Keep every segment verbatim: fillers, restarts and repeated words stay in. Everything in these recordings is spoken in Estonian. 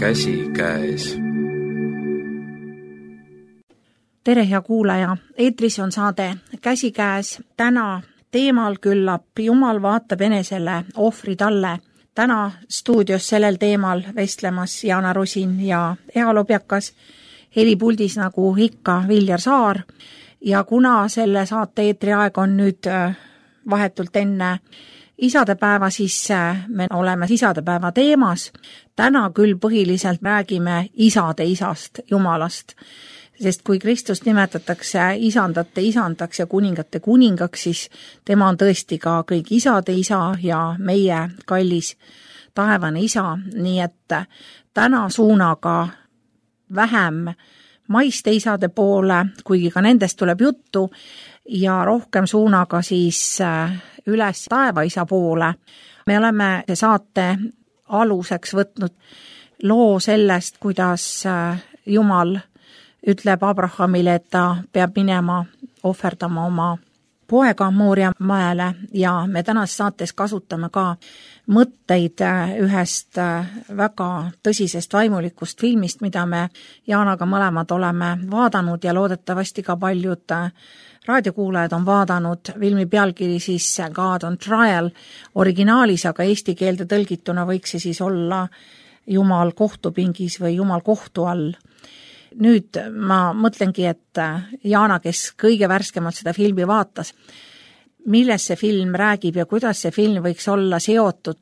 käsikäes. Tere, hea kuulaja! Eetris on saade Käsikäes. Täna teemal küllap Jumal vaatab enesele, ohvri talle. Täna stuudios sellel teemal vestlemas Jaana Rusin ja Ea Lobjakas, helipuldis nagu ikka Viljar Saar. Ja kuna selle saate eetriaeg on nüüd vahetult enne isadepäeva, siis me oleme isadepäeva teemas. Täna küll põhiliselt räägime isade isast, Jumalast. Sest kui Kristust nimetatakse isandate isandaks ja kuningate kuningaks, siis tema on tõesti ka kõik isade isa ja meie kallis taevane isa. Nii et täna suunaga vähem maiste isade poole, kuigi ka nendest tuleb juttu, ja rohkem suunaga siis üles taevaisa poole. Me oleme saate aluseks võtnud loo sellest, kuidas Jumal ütleb Abrahamile, et ta peab minema ohverdama oma poega Mooria mäele, ja me tänas saates kasutame ka mõtteid ühest väga tõsisest vaimulikust filmist, mida me Jaanaga mõlemad oleme vaadanud ja loodetavasti ka paljud raadiokuulajad on vaadanud. Filmi pealkiri siis God on Trial originaalis, aga eesti keelde tõlgituna võiks see siis olla Jumal kohtupingis või Jumal kohtu all. Nüüd ma mõtlengi, et Jaana, kes kõige värskemalt seda filmi vaatas, milles see film räägib ja kuidas see film võiks olla seotud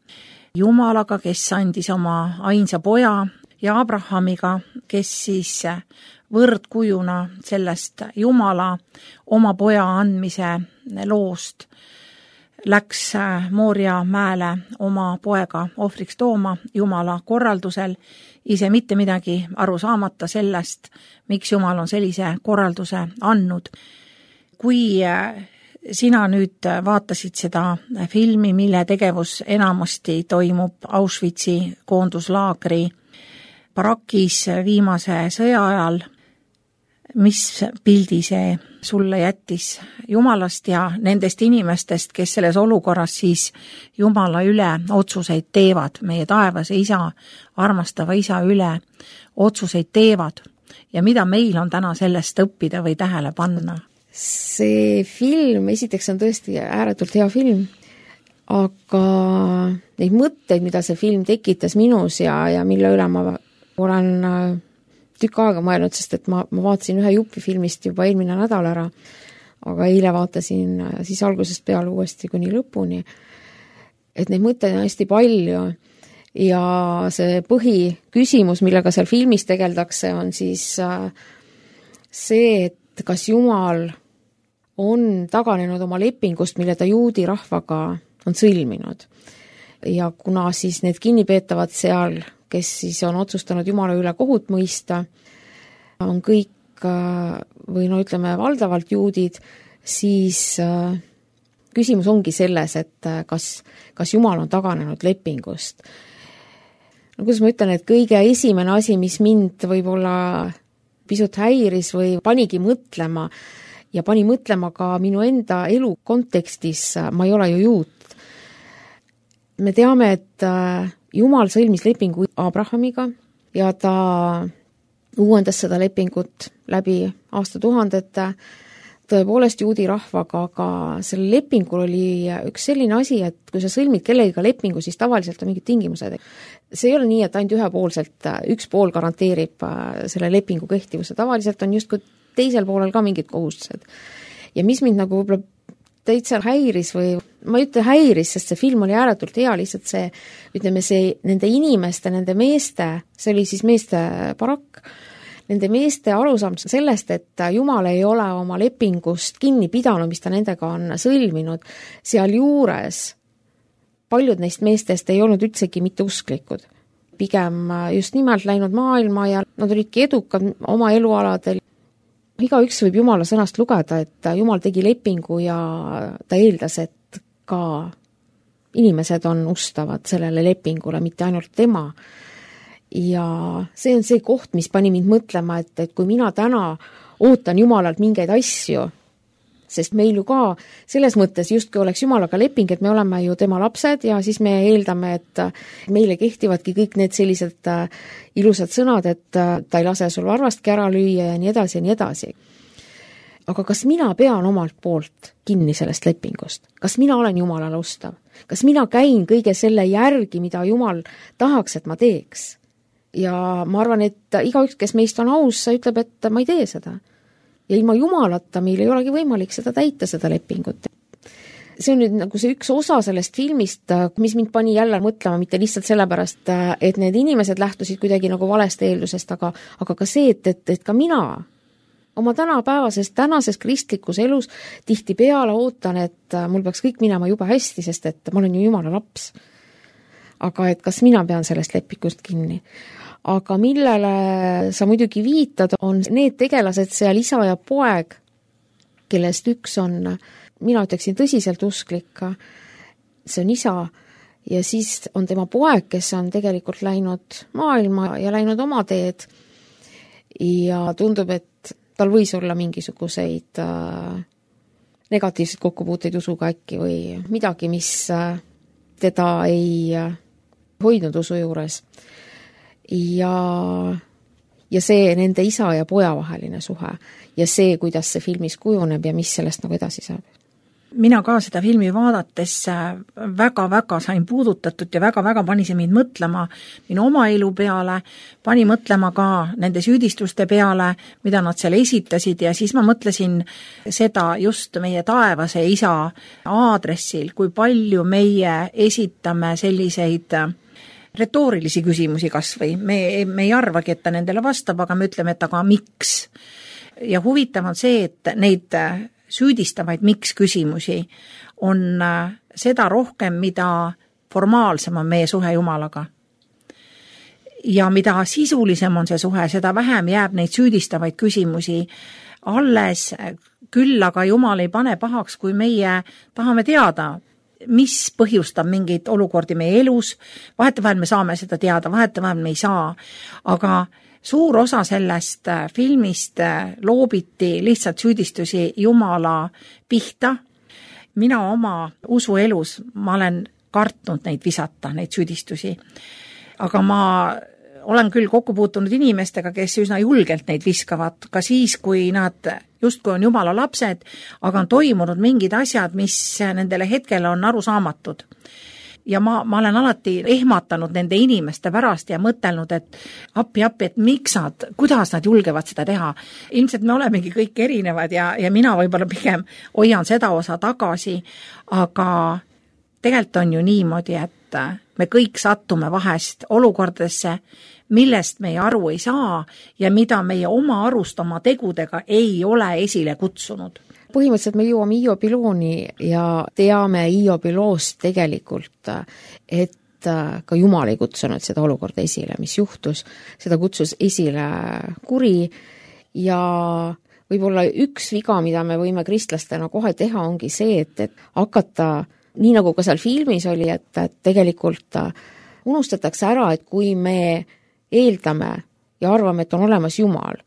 Jumalaga, kes andis oma ainsa poja, ja Abrahamiga, kes siis võrdkujuna sellest Jumala oma poja andmise loost läks Mooria mäele oma poega ohvriks tooma Jumala korraldusel, ise mitte midagi aru saamata sellest, miks Jumal on sellise korralduse andnud. Kui sina nüüd vaatasid seda filmi, mille tegevus enamasti toimub Auschwitzi koonduslaagri barakis viimase sõja ajal, mis pildi see sulle jättis Jumalast ja nendest inimestest, kes selles olukorras siis Jumala üle otsuseid teevad, meie taevase isa, armastava isa üle otsuseid teevad, ja mida meil on täna sellest õppida või tähele panna? See film, esiteks on tõesti ääretult hea film, aga neid mõtteid, mida see film tekitas minus ja, ja mille üle ma olen tükk aega mõelnud, sest et ma, ma vaatasin ühe juppi filmist juba eelmine nädal ära, aga eile vaatasin siis algusest peale uuesti kuni lõpuni, et neid mõtteid on hästi palju ja see põhiküsimus, millega seal filmis tegeldakse, on siis see, et kas Jumal on taganenud oma lepingust, mille ta juudi rahvaga on sõlminud. Ja kuna siis need kinnipeetavad seal, kes siis on otsustanud Jumala üle kohut mõista, on kõik, või no ütleme valdavalt juudid, siis küsimus ongi selles, et kas, kas Jumal on taganenud lepingust. No kuidas ma ütlen, et kõige esimene asi, mis mind võib-olla pisut häiris või panigi mõtlema ja pani mõtlema ka minu enda elu kontekstis, ma ei ole ju juut. Me teame, et Jumal sõlmis lepingu Abrahamiga ja ta uuendas seda lepingut läbi aastatuhandete tõepoolest juudi rahvaga, aga selle lepingul oli üks selline asi, et kui sa sõlmid kellegiga lepingu, siis tavaliselt on mingid tingimused. See ei ole nii, et ainult ühepoolselt üks pool garanteerib selle lepingu kehtivuse. Tavaliselt on just kui teisel poolel ka mingid kohustused. Ja mis mind nagu võib-olla täitsa häiris või ma ei ütle häiris, sest see film oli ääretult hea, lihtsalt see, ütleme see nende inimeste, nende meeste, see oli siis meeste barakk, nende meeste arusaam sellest, et Jumal ei ole oma lepingust kinni pidanud, mis ta nendega on sõlminud, seal juures paljud neist meestest ei olnud üldsegi mitte usklikud. Pigem just nimelt läinud maailma ja nad olidki edukad oma elualadel. Igaüks võib Jumala sõnast lugeda, et Jumal tegi lepingu ja ta eeldas, et ka inimesed on ustavad sellele lepingule, mitte ainult tema. Ja see on see koht, mis pani mind mõtlema, et, et kui mina täna ootan Jumalalt mingeid asju, sest meil ju ka selles mõttes justkui oleks Jumalaga leping, et me oleme ju tema lapsed ja siis me eeldame, et meile kehtivadki kõik need sellised ilusad sõnad, et ta ei lase sul varvastki ära lüüa ja nii edasi ja nii edasi. Aga kas mina pean omalt poolt kinni sellest lepingust? Kas mina olen Jumalale ustav? Kas mina käin kõige selle järgi, mida Jumal tahaks, et ma teeks? Ja ma arvan, et igaüks, kes meist on aus, ütleb, et ma ei tee seda. Ja ilma Jumalata meil ei olegi võimalik seda täita, seda lepingut. See on nüüd nagu see üks osa sellest filmist, mis mind pani jälle mõtlema, mitte lihtsalt sellepärast, et need inimesed lähtusid kuidagi nagu valest eeldusest, aga, aga ka see, et, et, et ka mina oma tänapäevases, tänases kristlikus elus tihti peale ootan, et mul peaks kõik minema juba hästi, sest et ma olen ju Jumala laps. Aga et kas mina pean sellest lepikust kinni? Aga millele sa muidugi viitad, on need tegelased seal isa ja poeg, kellest üks on, mina ütleksin tõsiselt usklik, see on isa, ja siis on tema poeg, kes on tegelikult läinud maailma ja läinud oma teed ja tundub, et tal võis olla mingisuguseid negatiivseid kokkupuuteid usuga äkki või midagi, mis teda ei hoidnud usu juures. Ja, ja see nende isa ja poja vaheline suhe ja see, kuidas see filmis kujuneb ja mis sellest nagu edasi saab. Mina ka seda filmi vaadates väga-väga sain puudutatud ja väga-väga pani see mind mõtlema minu oma elu peale, pani mõtlema ka nende süüdistuste peale, mida nad seal esitasid ja siis ma mõtlesin seda just meie taevase isa aadressil, kui palju meie esitame selliseid retoorilisi küsimusi kas või. Me, me ei arvagi, et ta nendele vastab, aga me ütleme, et aga miks. Ja huvitav on see, et neid süüdistavaid miks küsimusi on seda rohkem, mida formaalsem on meie suhe Jumalaga. Ja mida sisulisem on see suhe, seda vähem jääb neid süüdistavaid küsimusi alles, küll aga Jumal ei pane pahaks, kui meie tahame teada, mis põhjustab mingeid olukordi meie elus, vahetevahel me saame seda teada, vahetevahel me ei saa, aga suur osa sellest filmist loobiti lihtsalt süüdistusi Jumala pihta. Mina oma usuelus, ma olen kartnud neid visata, neid süüdistusi, aga ma olen küll kokku puutunud inimestega, kes üsna julgelt neid viskavad, ka siis, kui nad justkui on Jumala lapsed, aga on toimunud mingid asjad, mis nendele hetkel on arusaamatud. Ja ma, ma olen alati ehmatanud nende inimeste pärast ja mõtelnud, et appi, appi, et miks nad, kuidas nad julgevad seda teha. Ilmselt me olemegi kõik erinevad ja, ja mina võib-olla pigem hoian seda osa tagasi, aga tegelikult on ju niimoodi, et me kõik sattume vahest olukordadesse, millest meie aru ei saa ja mida meie oma arust oma tegudega ei ole esile kutsunud. Põhimõtteliselt me jõuame Hiobi looni ja teame Hiobi loost tegelikult, et ka Jumal ei kutsunud seda olukorda esile, mis juhtus. Seda kutsus esile kuri ja võib-olla üks viga, mida me võime kristlastena kohe teha, ongi see, et, et hakata, nii nagu ka seal filmis oli, et, et tegelikult unustatakse ära, et kui me eeldame ja arvame, et on olemas Jumal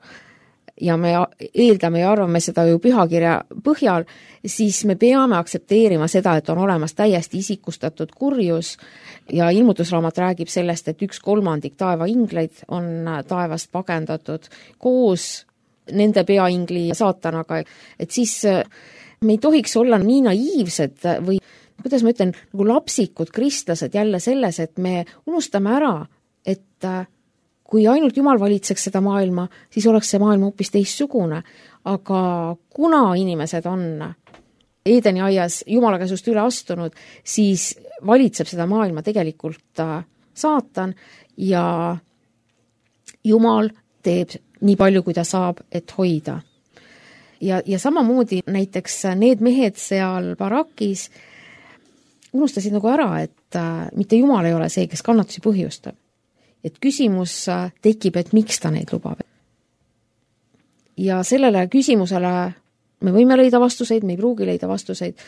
ja me eeldame ja arvame seda ju pühakirja põhjal, siis me peame aktsepteerima seda, et on olemas täiesti isikustatud kurjus ja ilmutusraamat räägib sellest, et üks kolmandik taeva ingleid on taevast pagendatud koos nende peaingli ja saatanaga, et siis me ei tohiks olla nii naiivsed või kuidas ma ütlen, nagu lapsikud kristlased jälle selles, et me unustame ära, et kui ainult Jumal valitseks seda maailma, siis oleks see maailm hoopis teistsugune. Aga kuna inimesed on Eedeni aias Jumala käsust üle astunud, siis valitseb seda maailma tegelikult saatan ja Jumal teeb nii palju, kui ta saab, et hoida. Ja, ja samamoodi näiteks need mehed seal barakis unustasid nagu ära, et mitte Jumal ei ole see, kes kannatusi põhjustab. Et küsimus tekib, et miks ta neid lubab. Ja sellele küsimusele me võime leida vastuseid, me ei pruugi leida vastuseid.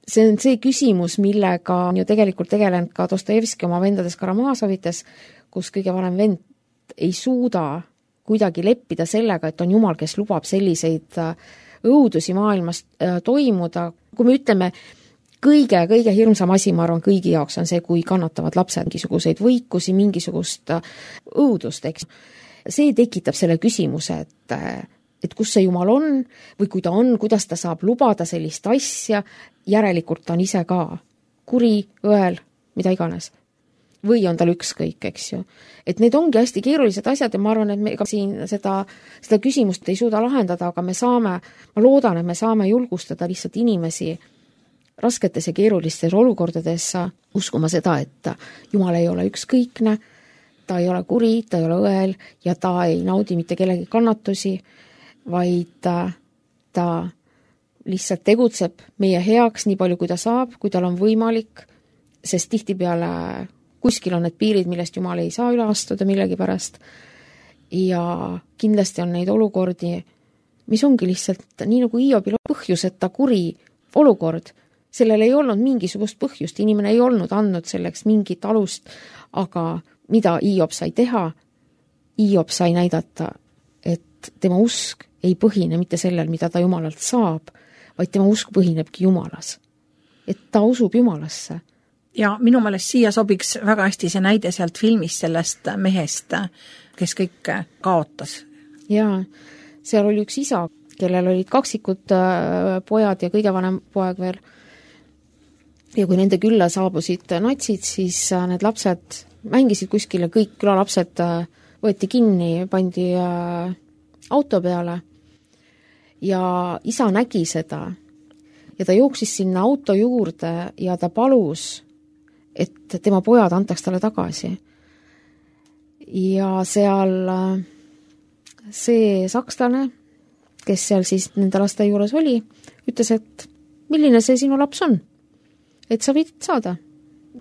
See on see küsimus, millega on ju tegelikult tegelenud ka Dostojevski oma vendades Karamaasovites, kus kõige vanem vend ei suuda kuidagi leppida sellega, et on Jumal, kes lubab selliseid õudusi maailmas toimuda, kui me ütleme, kõige, kõige hirmsam asi, ma arvan, kõigi jaoks on see, kui kannatavad lapsed mingisuguseid võikusi, mingisugust õudust, eks. See tekitab selle küsimuse, et, et kus see Jumal on või kui ta on, kuidas ta saab lubada sellist asja, järelikult ta on ise ka kuri, õel, mida iganes. Või on tal ükskõik, eks ju. Et need ongi hästi keerulised asjad ja ma arvan, et me ka siin seda, seda küsimust ei suuda lahendada, aga me saame, ma loodan, et me saame julgustada lihtsalt inimesi rasketes ja keerulistes olukordades uskuma seda, et Jumal ei ole ükskõikne, ta ei ole kuri, ta ei ole õel ja ta ei naudi mitte kellegi kannatusi, vaid ta lihtsalt tegutseb meie heaks nii palju, kui ta saab, kui tal on võimalik, sest tihtipeale kuskil on need piirid, millest Jumal ei saa üle astuda millegi pärast ja kindlasti on neid olukordi, mis ongi lihtsalt nii nagu Hiobil põhjuseta kuri olukord, sellel ei olnud mingisugust põhjust, inimene ei olnud andnud selleks mingit alust, aga mida Hiob sai teha, Hiob sai näidata, et tema usk ei põhine mitte sellel, mida ta Jumalalt saab, vaid tema usk põhinebki Jumalas. Et ta usub Jumalasse. Ja minu meelest siia sobiks väga hästi see näide sealt filmist sellest mehest, kes kõik kaotas. Jaa, seal oli üks isa, kellel olid kaksikud pojad ja kõige vanem poeg veel. Ja kui nende külla saabusid natsid, siis need lapsed mängisid kuskil ja kõik külalapsed võeti kinni, pandi auto peale ja isa nägi seda ja ta jooksis sinna auto juurde ja ta palus, et tema pojad antaks talle tagasi. Ja seal see sakslane, kes seal siis nende laste juures oli, ütles, et milline see sinu laps on? Et sa võid saada,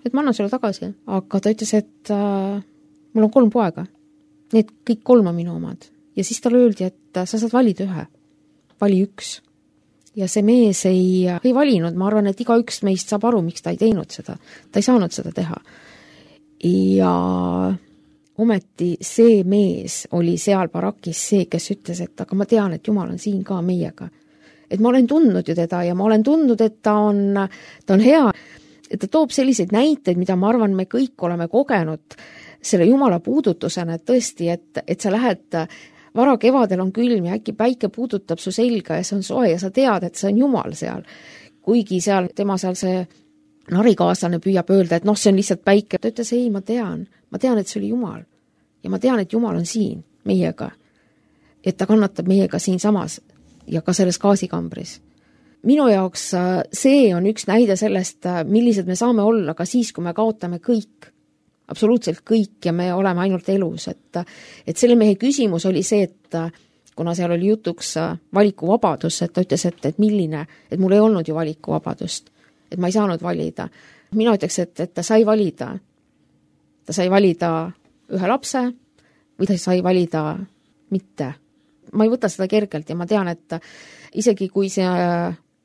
et ma annan sulle tagasi. Aga ta ütles, et äh, mul on kolm poega. Need kõik kolm on minu omad. Ja siis talle öeldi, et sa saad valida ühe. Vali üks. Ja see mees ei, ei valinud, ma arvan, et iga üks meist saab aru, miks ta ei teinud seda. Ta ei saanud seda teha. Ja ometi see mees oli seal barakis see, kes ütles, et aga ma tean, et Jumal on siin ka meiega. Et ma olen tundnud ju teda ja ma olen tundnud, et ta on, ta on hea. Et ta toob selliseid näiteid, mida ma arvan, me kõik oleme kogenud selle Jumala puudutusena, et tõesti, et, et sa lähed vara kevadel on külm ja äkki päike puudutab su selga ja see on soe ja sa tead, et see on Jumal seal. Kuigi seal tema seal see narikaaslane püüab öelda, et noh, see on lihtsalt päike. Ta ütles, ei, ma tean. Ma tean, et see oli Jumal. Ja ma tean, et Jumal on siin meiega. Et ta kannatab meiega siin samas ja ka selles gaasikambris. Minu jaoks see on üks näide sellest, millised me saame olla ka siis, kui me kaotame kõik. Absoluutselt kõik ja me oleme ainult elus, et, et selle mehe küsimus oli see, et kuna seal oli jutuks valikuvabadus, et ta ütles, et, et milline, et mul ei olnud ju valikuvabadust, et ma ei saanud valida. Mina ütleks, et, et ta sai valida. Ta sai valida ühe lapse või ta sai valida mitte. Ma ei võta seda kergelt ja ma tean, et isegi kui see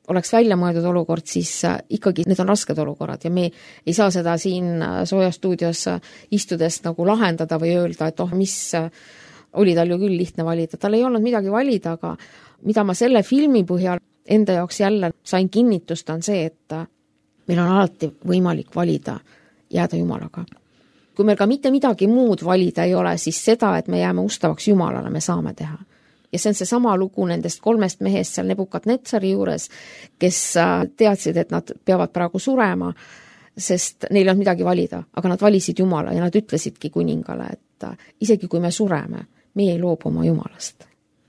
oleks välja mõeldud olukord, siis ikkagi need on rasked olukorrad ja me ei saa seda siin soojastuudios istudes nagu lahendada või öelda, et oh, mis oli tal ju küll lihtne valida. Tal ei olnud midagi valida, aga mida ma selle filmi põhjal enda jaoks jälle sain kinnitust, on see, et meil on alati võimalik valida jääda Jumalaga. Kui meil ka mitte midagi muud valida ei ole, siis seda, et me jääme ustavaks Jumalale, me saame teha. Ja see on see sama lugu nendest kolmest mehest seal Nebukadnetsari juures, kes teadsid, et nad peavad praegu surema, sest neil on midagi valida, aga nad valisid Jumala ja nad ütlesidki kuningale, et isegi kui me sureme, me ei loobu oma Jumalast.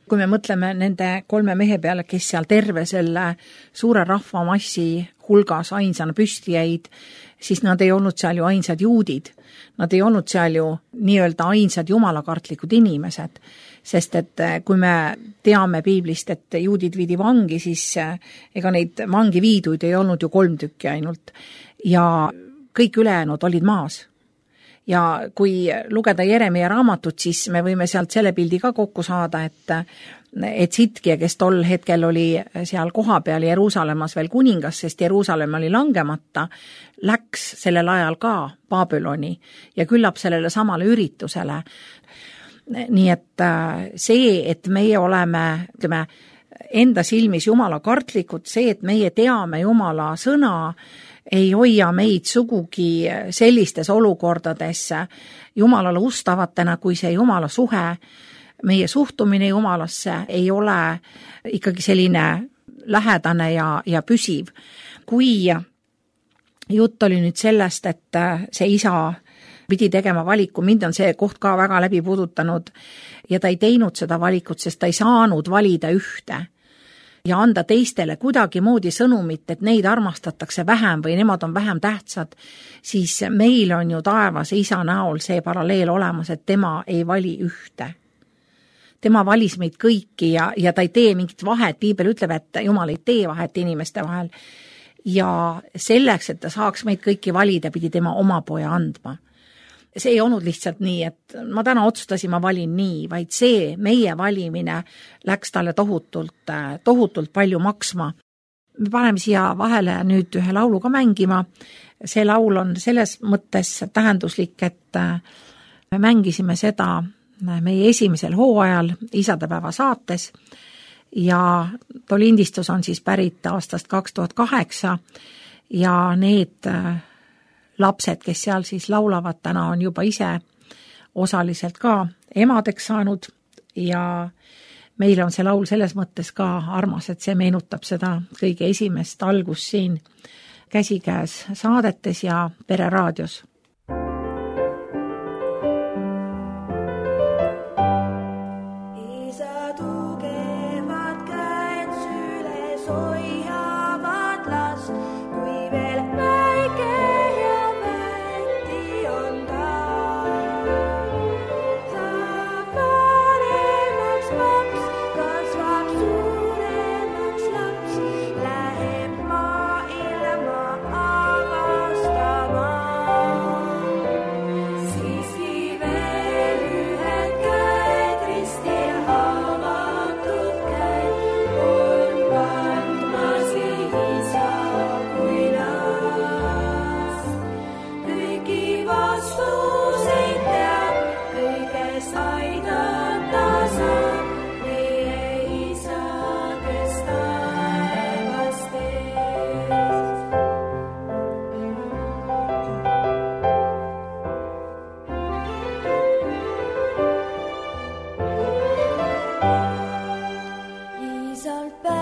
Kui me mõtleme nende kolme mehe peale, kes seal terve selle suure rahvamassi hulgas ainsana püsti jäid, siis nad ei olnud seal ju ainsad juudid. Nad ei olnud seal ju nii-öelda ainsad jumalakartlikud inimesed, sest et kui me teame piiblist, et juudid viidi vangi, siis ega neid vangi viiduid ei olnud ju kolm tükki ainult ja kõik ülejäänud olid maas. Ja kui lugeda Jeremia raamatut, siis me võime sealt selle pildi ka kokku saada, et, et Sitkia, kes tol hetkel oli seal koha peal Jeruusalemmas veel kuningas, sest Jeruusalemm oli langemata, läks sellel ajal ka Babyloni ja küllap sellele samale üritusele. Nii et see, et meie oleme, ütleme, enda silmis jumala kartlikud, see, et meie teame jumala sõna, ei hoia meid sugugi sellistes olukordades jumalale ustavatena, kui see jumala suhe, meie suhtumine jumalasse ei ole ikkagi selline lähedane ja, ja püsiv. Kui jutt oli nüüd sellest, et see isa pidi tegema valiku, mind on see koht ka väga läbi puudutanud ja ta ei teinud seda valikut, sest ta ei saanud valida ühte ja anda teistele kuidagi moodi sõnumit, et neid armastatakse vähem või nemad on vähem tähtsad, siis meil on ju taevas isa näol see paralleel olemas, et tema ei vali ühte. Tema valis meid kõiki ja, ja ta ei tee mingit vahet, piibel ütleb, et jumal ei tee vahet inimeste vahel ja selleks, et ta saaks meid kõiki valida, pidi tema oma poja andma. See ei olnud lihtsalt nii, et ma täna otsustasin, ma valin nii, vaid see meie valimine läks talle tohutult, tohutult palju maksma. Me paneme siia vahele nüüd ühe laulu ka mängima. See laul on selles mõttes tähenduslik, et me mängisime seda meie esimesel hooajal isadepäeva saates ja too lindistus on siis pärit aastast kaks tuhat kaheksa ja need lapsed, kes seal siis laulavad, täna on juba ise osaliselt ka emadeks saanud ja meile on see laul selles mõttes ka armas, et see meenutab seda kõige esimest algust siin käsikäes saadetes ja Pereraadios. Isa tugevad käed süles hoiavad last, kui veel väike Isa kui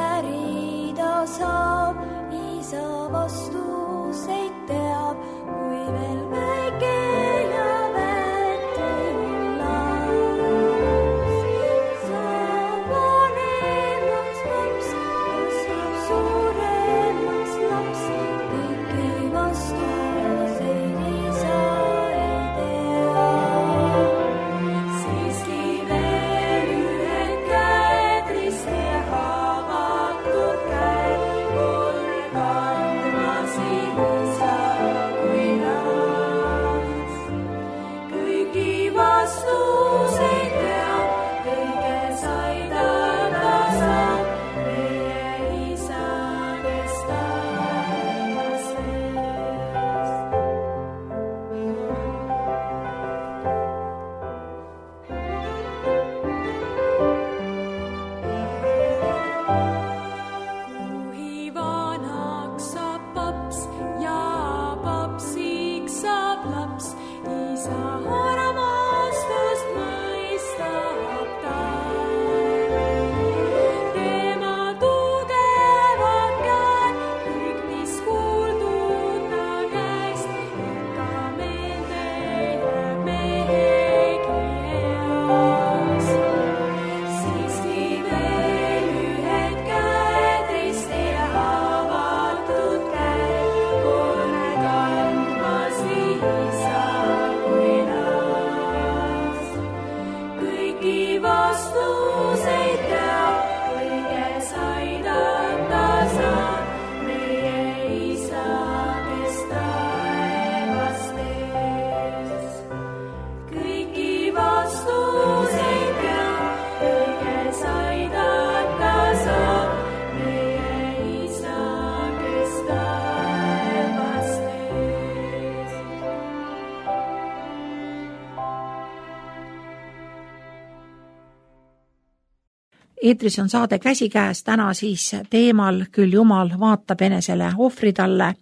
eetris on saade Käsikäes, täna siis teemal küll Jumal vaatab enesele ohvri talle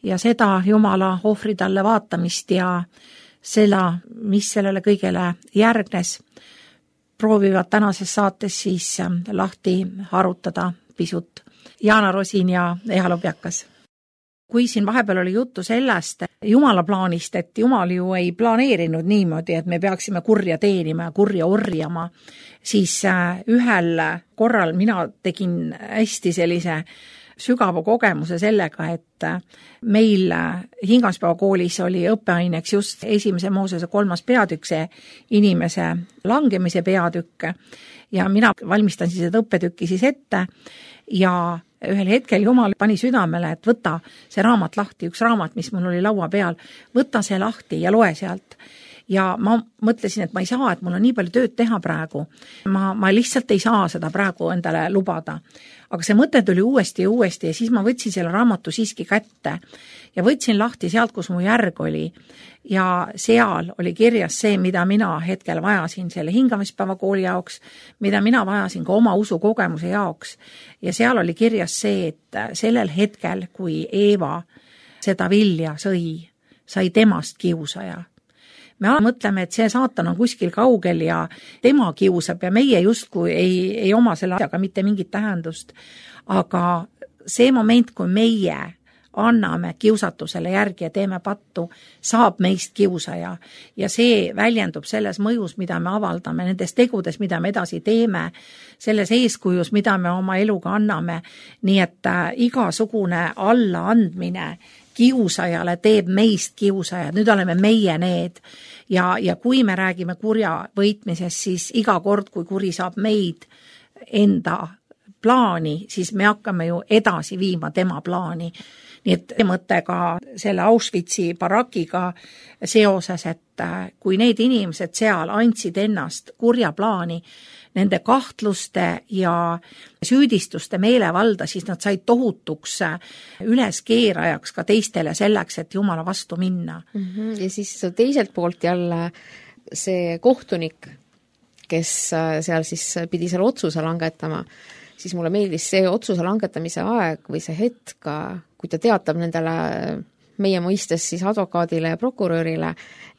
ja seda Jumala ohvri talle vaatamist ja seda, mis sellele kõigele järgnes, proovivad tänases saates siis lahti harutada pisut Jaana Rosin ja Eha Lobjakas. Kui siin vahepeal oli juttu sellest Jumala plaanist, et Jumal ju ei planeerinud niimoodi, et me peaksime kurja teenima ja kurja orjama, siis ühel korral mina tegin hästi sellise sügava kogemuse sellega, et meil Hingaspäeva koolis oli õppeaineks just esimese Moosese kolmas peatükk, see inimese langemise peatükk ja mina valmistan siis seda õppetükki siis ette ja ühel hetkel Jumal pani südamele, et võta see raamat lahti, üks raamat, mis mul oli laua peal, võta see lahti ja loe sealt. Ja ma mõtlesin, et ma ei saa, et mul on nii palju tööd teha praegu. Ma, ma lihtsalt ei saa seda praegu endale lubada. Aga see mõte tuli uuesti ja uuesti ja siis ma võtsin selle raamatu siiski kätte ja võtsin lahti sealt, kus mu järg oli. Ja seal oli kirjas see, mida mina hetkel vajasin selle Hingamispäeva kooli jaoks, mida mina vajasin ka oma usukogemuse jaoks. Ja seal oli kirjas see, et sellel hetkel, kui Eeva seda vilja sõi, sai temast kiusaja. Me mõtleme, et see saatan on kuskil kaugel ja tema kiusab ja meie justkui ei, ei oma selle asjaga mitte mingit tähendust. Aga see moment, kui meie anname kiusatusele järgi ja teeme pattu, saab meist kiusaja. Ja see väljendub selles mõjus, mida me avaldame, nendes tegudes, mida me edasi teeme, selles eeskujus, mida me oma eluga anname. Nii et igasugune allaandmine kiusajale teeb meist kiusajad, nüüd oleme meie need ja, ja kui me räägime kurja võitmisest, siis iga kord, kui kuri saab meid enda plaani, siis me hakkame ju edasi viima tema plaani. Nii et mõte ka selle Auschwitzi barakiga seoses, et kui need inimesed seal andsid ennast kurja plaani, nende kahtluste ja süüdistuste meelevalda, siis nad said tohutuks üleskeerajaks ka teistele selleks, et Jumala vastu minna. Mm-hmm. Ja siis teiselt poolt jälle see kohtunik, kes seal siis pidi selle otsuse langetama, siis mulle meeldis see otsuse langetamise aeg või see hetk, kui ta teatab nendele meie mõistes siis advokaadile ja prokurörile,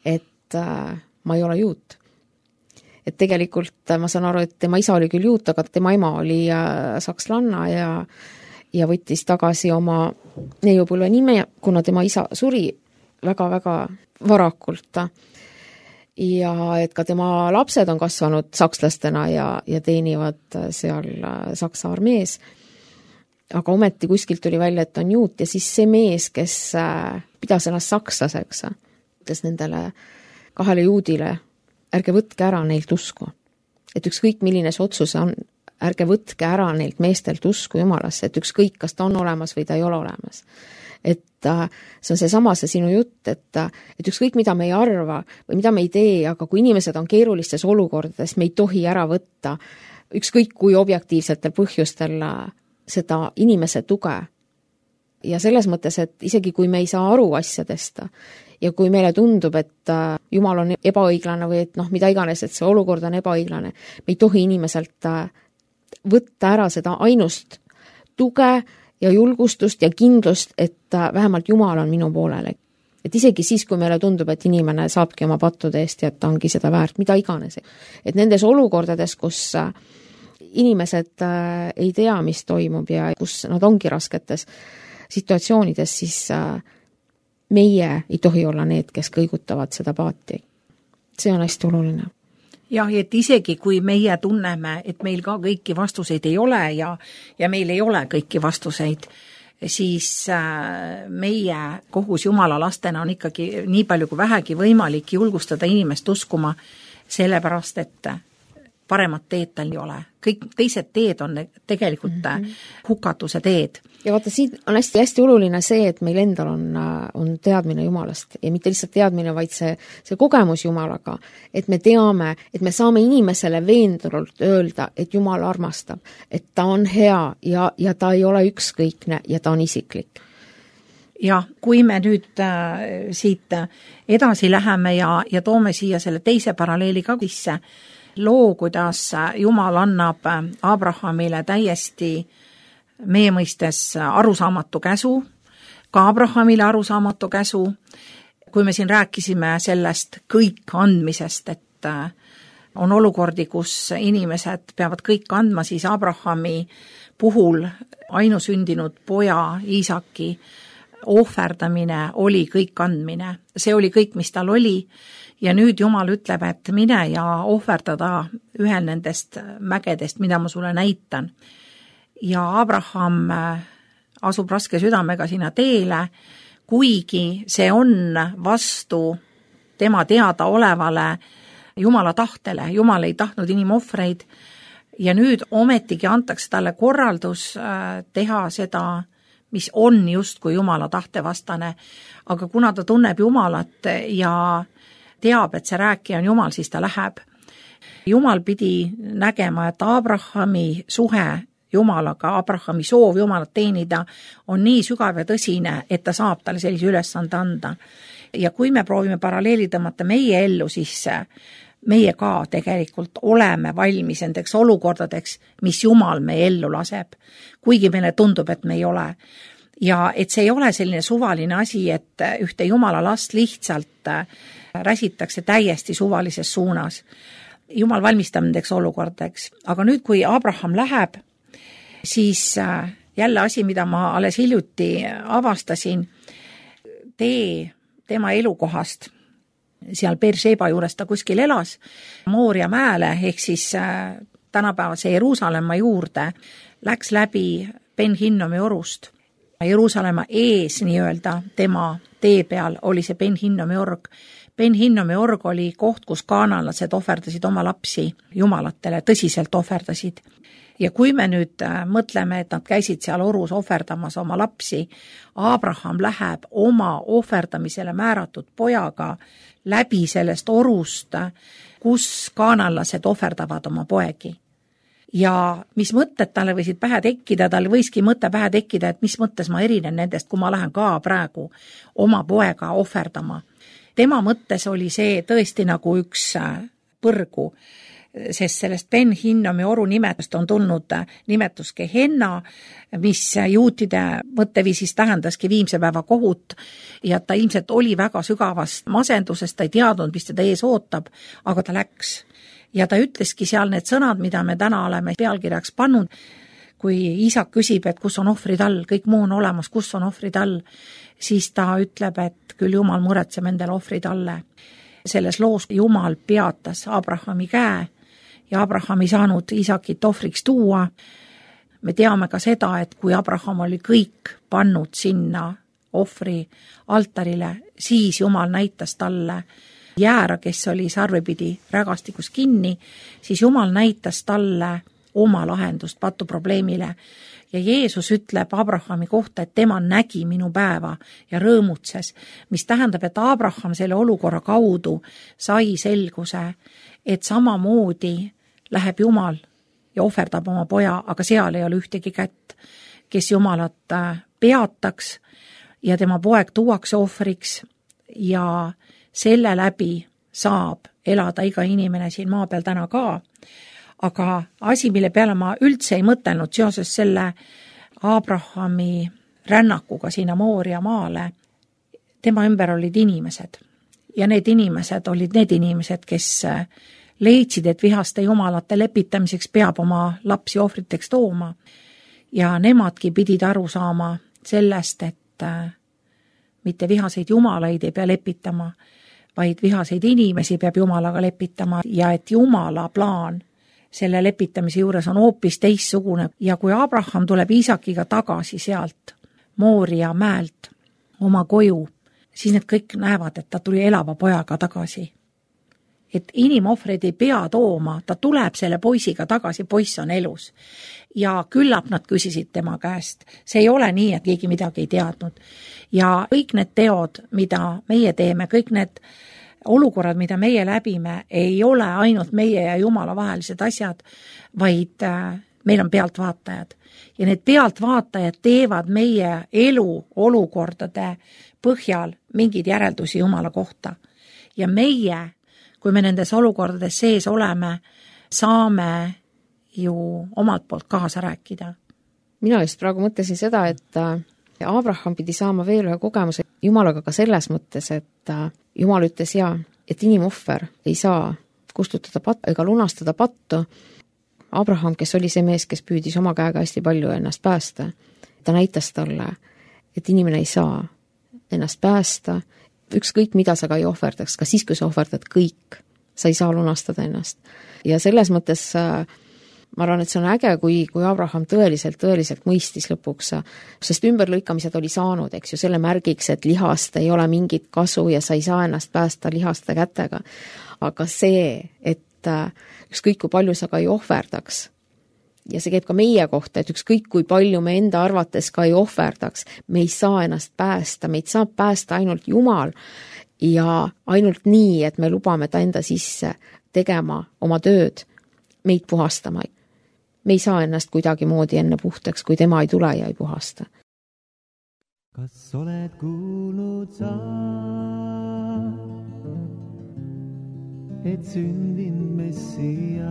et ma ei ole juut. Et tegelikult ma saan aru, et tema isa oli küll juut, aga tema ema oli sakslanna ja, ja võttis tagasi oma neiupõlve nime, kuna tema isa suri väga-väga varakult. Ja et ka tema lapsed on kasvanud sakslastena ja, ja teenivad seal Saksa armees. Aga ometi kuskilt tuli välja, et on juut ja siis see mees, kes pidas ennast sakslaseks, ütles nendele kahele juudile, ärge võtke ära neilt usku. Et ükskõik milline see otsus on, ärge võtke ära neilt meestelt usku Jumalasse, et ükskõik, kas ta on olemas või ta ei ole olemas. Et see on see sama see sinu jutt, et, et ükskõik mida me ei arva või mida me ei tee, aga kui inimesed on keerulistes olukordades, me ei tohi ära võtta ükskõik kui objektiivsetel põhjustel seda inimese tuge. Ja selles mõttes, et isegi kui me ei saa aru asjadest ja kui meile tundub, et Jumal on ebaõiglane või et noh, mida iganes, et see olukord on ebaõiglane, me ei tohi inimeselt võtta ära seda ainust tuge ja julgustust ja kindlust, et vähemalt Jumal on minu poolele. Et isegi siis, kui meile tundub, et inimene saabki oma pattude eest ja et ta ongi seda väärt, mida iganes. Et nendes olukordades, kus inimesed ei tea, mis toimub ja kus nad ongi rasketes situatsioonides, siis meie ei tohi olla need, kes kõigutavad seda paati. See on hästi oluline. Jah, et isegi kui meie tunneme, et meil ka kõiki vastuseid ei ole ja, ja meil ei ole kõiki vastuseid, siis meie kohus Jumala lastena on ikkagi nii palju kui vähegi võimalik julgustada inimest uskuma, sellepärast, et paremat teed tal ei ole. Kõik teised teed on tegelikult mm-hmm. hukatuse teed. Ja vaata, siin on hästi-hästi oluline see, et meil endal on, on teadmine Jumalast ja mitte lihtsalt teadmine, vaid see, see kogemus Jumalaga, et me teame, et me saame inimesele veendunult öelda, et Jumal armastab, et ta on hea ja, ja ta ei ole ükskõikne ja ta on isiklik. Ja kui me nüüd äh, siit edasi läheme ja, ja toome siia selle teise paralleeli ka sisse, loo, kuidas Jumal annab Abrahamile täiesti meie mõistes arusaamatu käsu, ka Abrahamile arusaamatu käsu, kui me siin rääkisime sellest kõik andmisest, et on olukordi, kus inimesed peavad kõik andma, siis Abrahami puhul ainusündinud poja Iisaki ohverdamine oli kõik andmine. See oli kõik, mis tal oli, ja nüüd Jumal ütleb, et mine ja ohverdada ühel nendest mägedest, mida ma sulle näitan. Ja Abraham asub raske südamega sinna teele, kuigi see on vastu tema teada olevale Jumala tahtele. Jumal ei tahtnud inimohvreid ja nüüd ometigi antakse talle korraldus teha seda, mis on justkui Jumala tahtevastane, aga kuna ta tunneb Jumalat ja teab, et see rääkija on Jumal, siis ta läheb. Jumal pidi nägema, et Abrahami suhe Jumalaga, Abrahami soov Jumalat teenida on nii sügav ja tõsine, et ta saab talle sellise ülesande anda. Ja kui me proovime paralleeli tõmmata meie ellu, siis meie ka tegelikult oleme valmis nendeks olukordadeks, mis Jumal meie ellu laseb, kuigi meile tundub, et me ei ole. Ja et see ei ole selline suvaline asi, et ühte Jumala last lihtsalt räsitakse täiesti suvalises suunas. Jumal valmistab nendeks olukordadeks. Aga nüüd, kui Abraham läheb, siis jälle asi, mida ma alles hiljuti avastasin, tee tema elukohast, seal Beersheba juures ta kuskil elas, Mooria mäele, ehk siis tänapäevase Jeruusalemma juurde, läks läbi Ben Hinnomi orust. Jeruusalemma ees nii-öelda tema tee peal oli see Ben Hinnomi org. Ben Hinnomi org oli koht, kus kaananlased ohverdasid oma lapsi jumalatele, tõsiselt ohverdasid. Ja kui me nüüd mõtleme, et nad käisid seal orus ohverdamas oma lapsi, Abraham läheb oma ohverdamisele määratud pojaga läbi sellest orust, kus kaananlased ohverdavad oma poegi. Ja mis mõtted talle võisid pähe tekkida, talle võiski mõte pähe tekkida, et mis mõttes ma erinen nendest, kui ma lähen ka praegu oma poega ohverdama. Tema mõttes oli see tõesti nagu üks põrgu, sest sellest Ben Hinnomi oru nimetust on tulnud nimetus Gehenna, mis juutide mõtteviisis tähendaski viimse päeva kohut, ja ta ilmselt oli väga sügavast masendusest, ta ei teadnud, mis teda ees ootab, aga ta läks. Ja ta ütleski seal need sõnad, mida me täna oleme pealkirjaks pannud, kui Iisak küsib, et kus on ohvrid all, kõik muu on olemas, kus on ohvrid all, siis ta ütleb, et küll Jumal muretseb endale ohvrid alle. Selles loos Jumal peatas Abrahami käe ja Abraham ei saanud Iisakit ohvriks tuua. Me teame ka seda, et kui Abraham oli kõik pannud sinna ohvri altarile, siis Jumal näitas talle jäära, kes oli sarvepidi rägastikus kinni, siis Jumal näitas talle oma lahendust patuprobleemile. Ja Jeesus ütleb Abrahami kohta, et tema nägi minu päeva ja rõõmutses, mis tähendab, et Abraham selle olukorra kaudu sai selguse, et samamoodi läheb Jumal ja ohverdab oma poja, aga seal ei ole ühtegi kätt, kes Jumalat peataks ja tema poeg tuuakse ohvriks ja selle läbi saab elada iga inimene siin maa peal täna ka. Aga asi, mille peale ma üldse ei mõtelnud seoses selle Abrahami rännakuga sinna Mooria maale, tema ümber olid inimesed. Ja need inimesed olid need inimesed, kes leidsid, et vihaste jumalate lepitamiseks peab oma lapsi ohvriteks tooma. Ja nemadki pidid aru saama sellest, et mitte vihaseid jumalaid ei pea lepitama, vaid vihaseid inimesi peab Jumalaga lepitama ja et Jumala plaan selle lepitamise juures on hoopis teissugune. Ja kui Abraham tuleb Iisakiga tagasi sealt Mooria mäelt oma koju, siis need kõik näevad, et ta tuli elava pojaga tagasi. Et inimohvreid ei pea tooma, ta tuleb selle poisiga tagasi, poiss on elus. Ja küllap nad küsisid tema käest. See ei ole nii, et keegi midagi ei teadnud. Ja kõik need teod, mida meie teeme, kõik need olukorrad, mida meie läbime, ei ole ainult meie ja Jumala vahelised asjad, vaid meil on pealtvaatajad. Ja need pealtvaatajad teevad meie elu olukordade põhjal mingeid järeldusi Jumala kohta. Ja meie, kui me nendes olukordades sees oleme, saame ju omalt poolt kaasa rääkida. Mina just praegu mõtlesin seda, et Abraham pidi saama veel ühe kogemuse Jumalaga ka selles mõttes, et Jumal ütles ja, et inimohver ei saa kustutada pattu ega lunastada pattu. Abraham, kes oli see mees, kes püüdis oma käega hästi palju ennast päästa, ta näitas talle, et inimene ei saa ennast päästa, ükskõik mida sa ka ei ohverdaks, ka siis, kui sa ohverdad kõik, sa ei saa lunastada ennast. Ja selles mõttes ma arvan, et see on äge, kui, kui Abraham tõeliselt, tõeliselt mõistis lõpuks, sest ümberlõikamised oli saanud, eks ju, selle märgiks, et lihast ei ole mingit kasu ja sa ei saa ennast päästa lihaste kätega. Aga see, et ükskõik kui palju sa ka ei ohverdaks, ja see käib ka meie kohta, et ükskõik kui palju me enda arvates ka ei ohverdaks, me ei saa ennast päästa, meid saab päästa ainult Jumal ja ainult nii, et me lubame ta enda sisse tegema oma tööd, meid puhastama. Me ei saa ennast kuidagi moodi enne puhtaks, kui tema ei tule ja ei puhasta. Kas oled kuulnud sa, et sündin Messias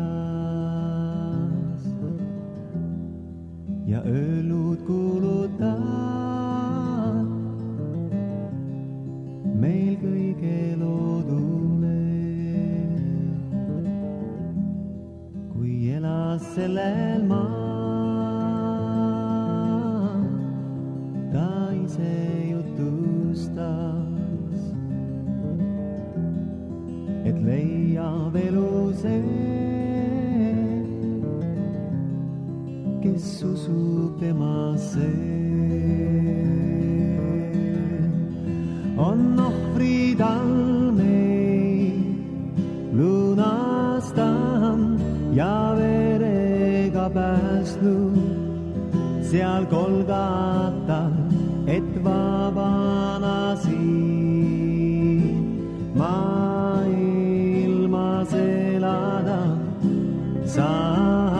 ja öelnud kuuluta meil kõige loodule, kui elas sellel maa, ta ise jutustas, et leiab elu see, kes usub temasse. On ohvrid all meid lunastanud ja verega päästnud seal Golgatal, et vabana siin maailmas elada saaks.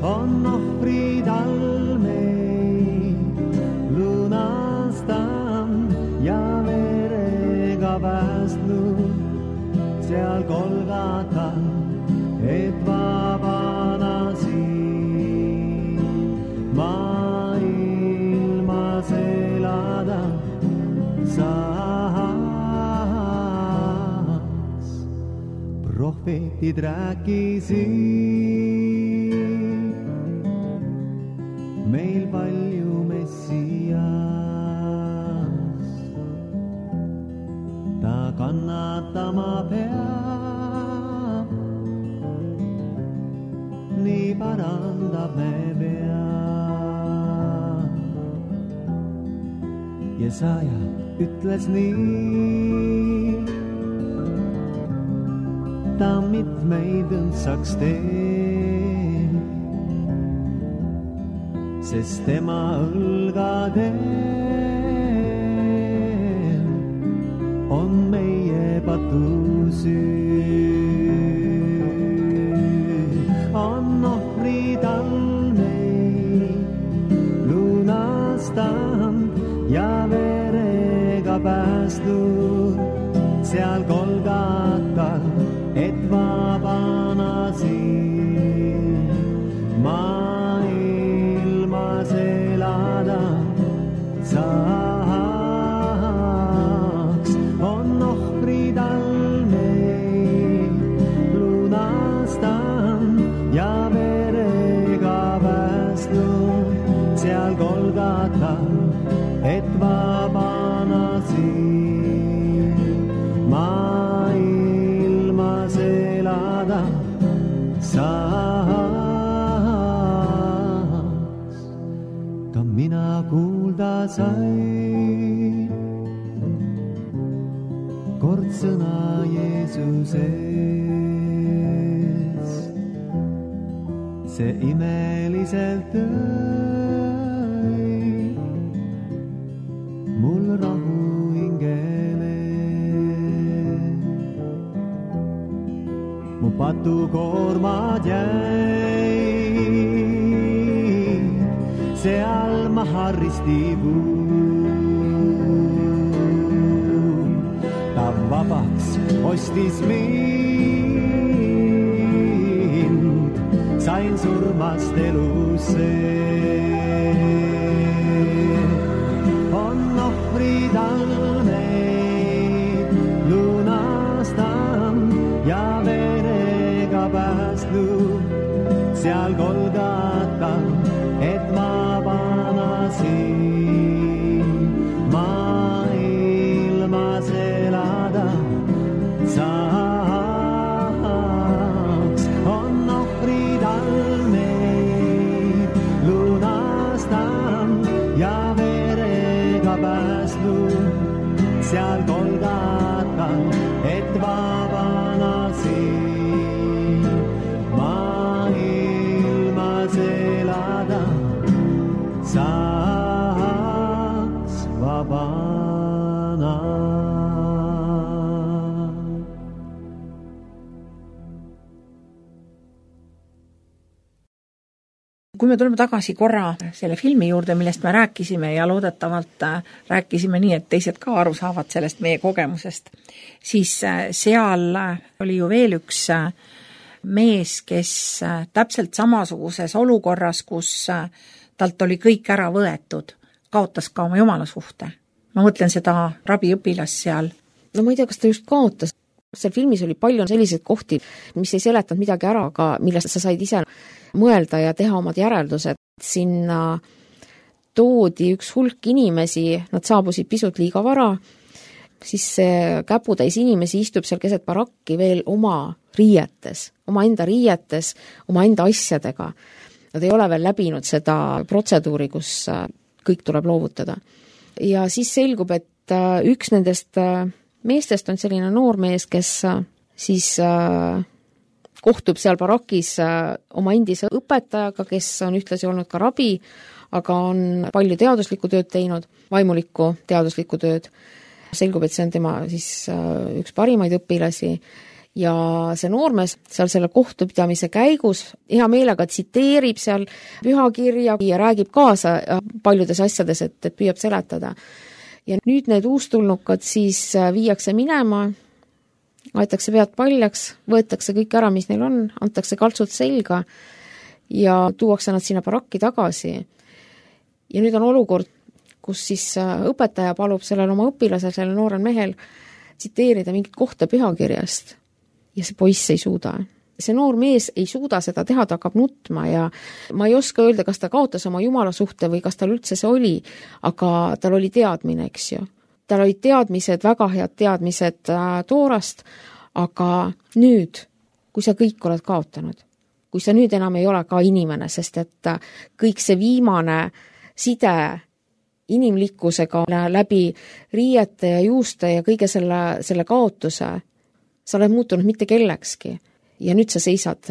On ohvrid all meid lunastanud ja verega päästnud seal Golgatal, et vabana siin maailmas elada saaks. Prohvetid rääkisid meil palju Messias, ta kannatama peab, nii parandab me peab. Jesaja ütles nii, ta mitmeid õndsaks teeb, sest tema õlgadel on meie patusüü. On ohvrid all meid lunastanud ja verega päästnud seal Golgatal, et vabana siin maailmas elada saaks. On ohvrid all meid lunastanud ja verega päästnud seal Golgatal, et vabana siin maailmas elada saaks. Ka mina kuulda sain kord sõna Jeesusest, see imeliselt tõi mul rahu hingele. Mu patukoormad jäid seal maha ristipuul, ta vabaks ostis mind surmast elusse. On ohvrid all neid lunastan ja verega päästnud seal Golgatal, et ma vanasin maailmas elada saaks. On ohvrid all neid lunastan ja verega päästnud seal Golgatal, et vabanasin maailmas elada saaks vabana. Kui me tuleme tagasi korra selle filmi juurde, millest me rääkisime ja loodetavalt rääkisime nii, et teised ka aru saavad sellest meie kogemusest, siis seal oli ju veel üks mees, kes täpselt samasuguses olukorras, kus talt oli kõik ära võetud, kaotas ka oma jumalasuhte. Ma mõtlen seda rabiõpilast seal. No ma ei tea, kas ta just kaotas. Seal filmis oli palju selliseid kohti, mis ei seletanud midagi ära, aga millest sa said ise mõelda ja teha omad järeldused. Sinna toodi üks hulk inimesi, nad saabusid pisut liiga vara, siis see käputäis inimesi istub seal keset barakki veel oma riietes, oma enda riietes, oma enda asjadega. Nad ei ole veel läbinud seda protseduuri, kus kõik tuleb loovutada. Ja siis selgub, et üks nendest meestest on selline noor mees, kes siis kohtub seal barakis oma endise õpetajaga, kes on ühtlasi olnud ka rabi, aga on palju teaduslikku tööd teinud, vaimulikku teaduslikku tööd. Selgub, et see on tema siis üks parimaid õpilasi ja see noormees seal selle kohtupidamise käigus hea meelega tsiteerib seal pühakirja ja räägib kaasa paljudes asjades, et, et püüab seletada. Ja nüüd need uustulnukad siis viiakse minema, aetakse pead paljaks, võetakse kõik ära, mis neil on, antakse kaltsud selga ja tuuakse nad sinna barakki tagasi. Ja nüüd on olukord, kus siis õpetaja palub sellel oma õpilasel, sellel noorel mehel tsiteerida mingit kohta pühakirjast ja see poiss ei suuda. See noor mees ei suuda seda teha, ta hakkab nutma ja ma ei oska öelda, kas ta kaotas oma jumala suhte või kas tal üldse see oli, aga tal oli teadmine, eks ju. Tal olid teadmised, väga head teadmised Toorast, aga nüüd, kui sa kõik oled kaotanud, kui sa nüüd enam ei ole ka inimene, sest et kõik see viimane side inimlikkusega läbi riiete ja juuste ja kõige selle, selle kaotuse, sa oled muutunud mitte kellekski. Ja nüüd sa seisad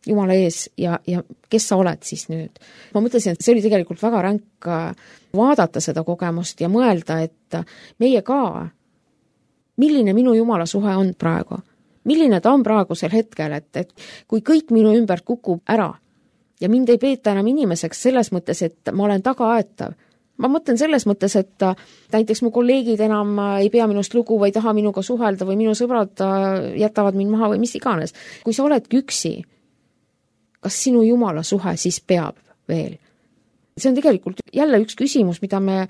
Jumala ees ja, ja kes sa oled siis nüüd? Ma mõtlesin, et see oli tegelikult väga ränk vaadata seda kogemust ja mõelda, et meie ka, milline minu Jumala suhe on praegu? Milline ta on praegusel hetkel, et, et kui kõik minu ümber kukub ära ja mind ei peeta enam inimeseks selles mõttes, et ma olen tagaaetav. Ma mõtlen selles mõttes, et näiteks mu kolleegid enam ei pea minust lugu või ei taha minuga suhelda või minu sõbrad jätavad mind maha või mis iganes. Kui sa oledki üksi, kas sinu Jumala suhe siis peab veel? See on tegelikult jälle üks küsimus, mida me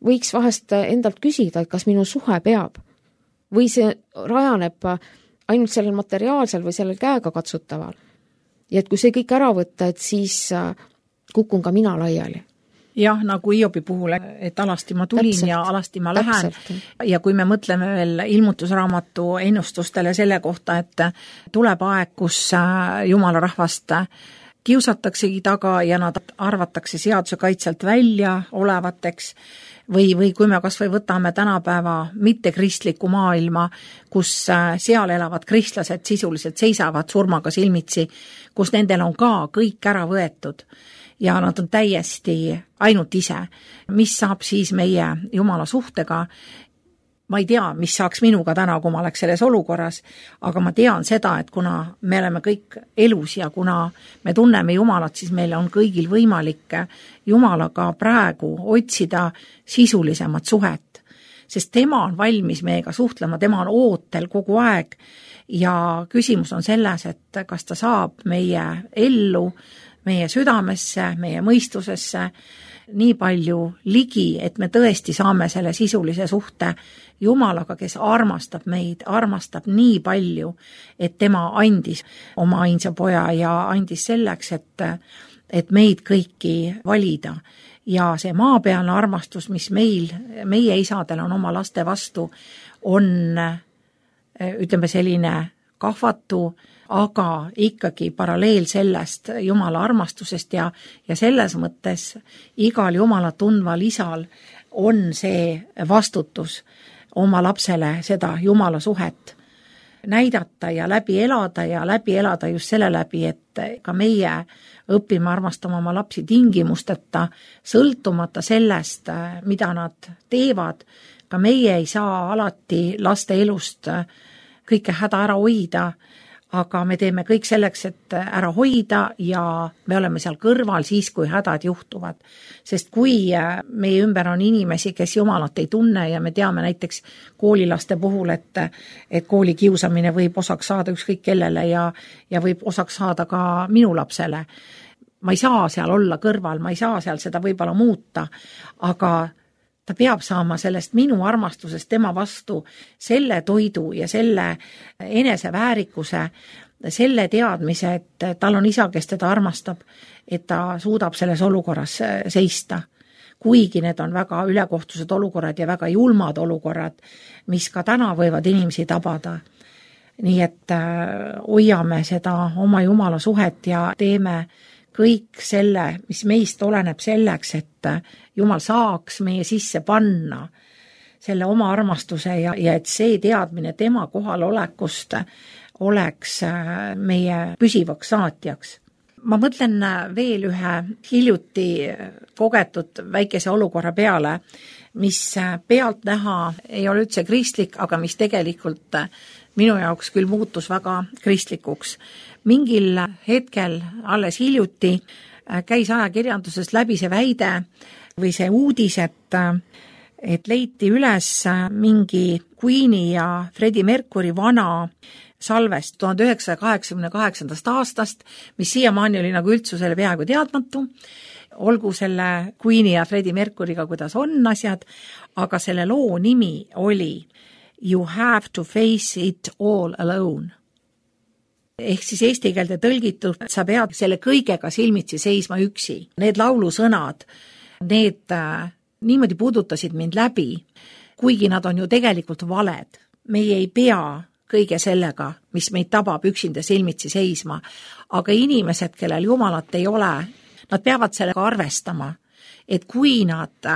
võiks vahest endalt küsida, et kas minu suhe peab või see rajaneb ainult sellel materiaalsel või sellel käega katsutaval. Ja et kui see kõik ära võtta, et siis kukun ka mina laiali. Jah, nagu Hiobi puhul, et alasti ma tulin täpselt, ja alasti ma lähen. Täpselt. Ja kui me mõtleme veel ilmutusraamatu ennustustele selle kohta, et tuleb aeg, kus Jumala rahvast kiusataksegi taga ja nad arvatakse seaduse kaitselt välja olevateks või, või kui me kas või võtame tänapäeva mittekristliku maailma, kus seal elavad kristlased sisuliselt seisavad surmaga silmitsi, kus nendel on ka kõik ära võetud ja nad on täiesti ainult ise. Mis saab siis meie Jumala suhtega? Ma ei tea, mis saaks minuga täna, kui ma oleks selles olukorras, aga ma tean seda, et kuna me oleme kõik elus ja kuna me tunneme Jumalat, siis meil on kõigil võimalik Jumalaga praegu otsida sisulisemat suhet. sest tema on valmis meiega suhtlema, tema on ootel kogu aeg ja küsimus on selles, et kas ta saab meie ellu, meie südamesse, meie mõistusesse nii palju ligi, et me tõesti saame selle sisulise suhte Jumalaga, kes armastab meid, armastab nii palju, et tema andis oma ainsa poja ja andis selleks, et, et meid kõiki valida. Ja see maapealne armastus, mis meil, meie isadel on oma laste vastu, on, ütleme, selline kahvatu, aga ikkagi paralleel sellest Jumala armastusest ja, ja selles mõttes igal Jumala tundval isal on see vastutus oma lapsele seda Jumala suhet näidata ja läbi elada ja läbi elada just selle läbi, et ka meie õpime armastama oma lapsi tingimusteta, sõltumata sellest, mida nad teevad. Ka meie ei saa alati laste elust kõike häda ära hoida, aga me teeme kõik selleks, et ära hoida ja me oleme seal kõrval siis, kui hädad juhtuvad. Sest kui meie ümber on inimesi, kes Jumalat ei tunne ja me teame näiteks koolilaste puhul, et, et kooli kiusamine võib osaks saada ükskõik kellele ja, ja võib osaks saada ka minu lapsele. Ma ei saa seal olla kõrval, ma ei saa seal seda võib-olla muuta, aga ta peab saama sellest minu armastusest tema vastu selle toidu ja selle eneseväärikuse, selle teadmise, et tal on isa, kes teda armastab, et ta suudab selles olukorras seista. Kuigi need on väga ülekohtused olukorrad ja väga julmad olukorrad, mis ka täna võivad inimesi tabada. Nii et hoiame seda oma Jumala suhet ja teeme kõik selle, mis meist oleneb selleks, et Jumal saaks meie sisse panna selle oma armastuse ja, ja et see teadmine tema kohalolekust oleks meie püsivaks saatjaks. Ma mõtlen veel ühe hiljuti kogetud väikese olukorra peale, mis pealt näha ei ole üldse kristlik, aga mis tegelikult minu jaoks küll muutus väga kristlikuks. Mingil hetkel alles hiljuti käis ajakirjandusest läbi see väide või see uudis, et, et leiti üles mingi Queeni ja Freddie Mercury vana salvest tuhande üheksasaja kaheksakümne kaheksandast aastast, mis siiamaani oli nagu üldsusele peaaegu teadmatu. Olgu selle Queeni ja Freddie Mercuryga, kuidas on asjad, aga selle loo nimi oli You have to face it all alone. Ehk siis eesti keelde tõlgitud, sa pead selle kõigega silmitsi seisma üksi. Need laulusõnad, need äh, niimoodi puudutasid mind läbi, kuigi nad on ju tegelikult valed. Meie ei pea kõige sellega, mis meid tabab üksinda silmitsi seisma, aga inimesed, kellel Jumalat ei ole, nad peavad sellega arvestama, et kui nad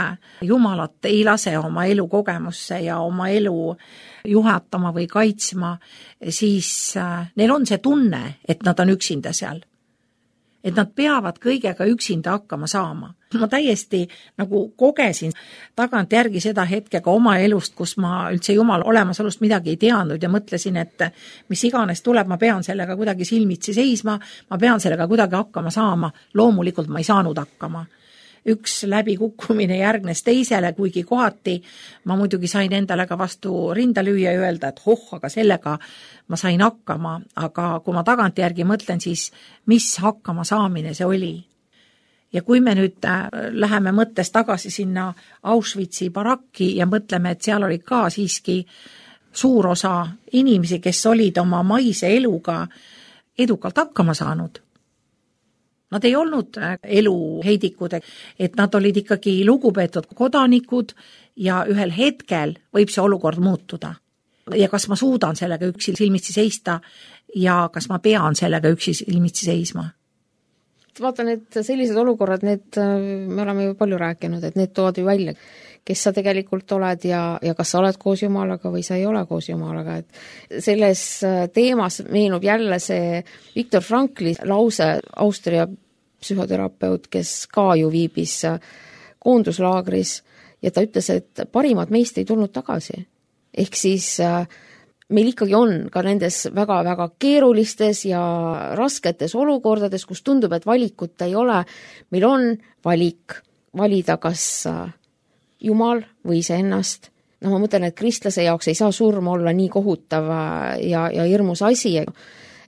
Jumalat ei lase oma elu kogemusse ja oma elu juhatama või kaitsma, siis neil on see tunne, et nad on üksinda seal. Et nad peavad kõigega üksinda hakkama saama. Ma täiesti nagu kogesin tagant järgi seda hetkega oma elust, kus ma üldse Jumala olemasolust midagi ei teadnud ja mõtlesin, et mis iganes tuleb, ma pean sellega kuidagi silmitsi seisma, ma pean sellega kuidagi hakkama saama. Loomulikult ma ei saanud hakkama. Üks läbikukkumine järgnes teisele, kuigi kohati ma muidugi sain endale ka vastu rinda lüüa ja öelda, et hoh, aga sellega ma sain hakkama, aga kui ma tagant järgi mõtlen, siis mis hakkama saamine see oli. Ja kui me nüüd läheme mõttes tagasi sinna Auschwitzi barakki ja mõtleme, et seal olid ka siiski suur osa inimesi, kes olid oma maise eluga edukalt hakkama saanud. Nad ei olnud elu heidikud, et nad olid ikkagi lugupeetud kodanikud ja ühel hetkel võib see olukord muutuda. Ja kas ma suudan sellega üksi silmitsi seista ja kas ma pean sellega üksi silmitsi seisma? Vaata, need sellised olukorrad, need, me oleme ju palju rääkinud, et need tood ju välja, kes sa tegelikult oled ja, ja kas sa oled koos Jumalaga või sa ei ole koos Jumalaga. Et selles teemas meenub jälle see Viktor Frankli lause, Austria psühhoterapeut, kes ka ju viibis koonduslaagris ja ta ütles, et parimad meist ei tulnud tagasi. Ehk siis meil ikkagi on ka nendes väga-väga keerulistes ja rasketes olukordades, kus tundub, et valikut ei ole, meil on valik valida kas Jumal või iseennast no ma mõtlen, et kristlase jaoks ei saa surm olla nii kohutav ja, ja hirmus asi,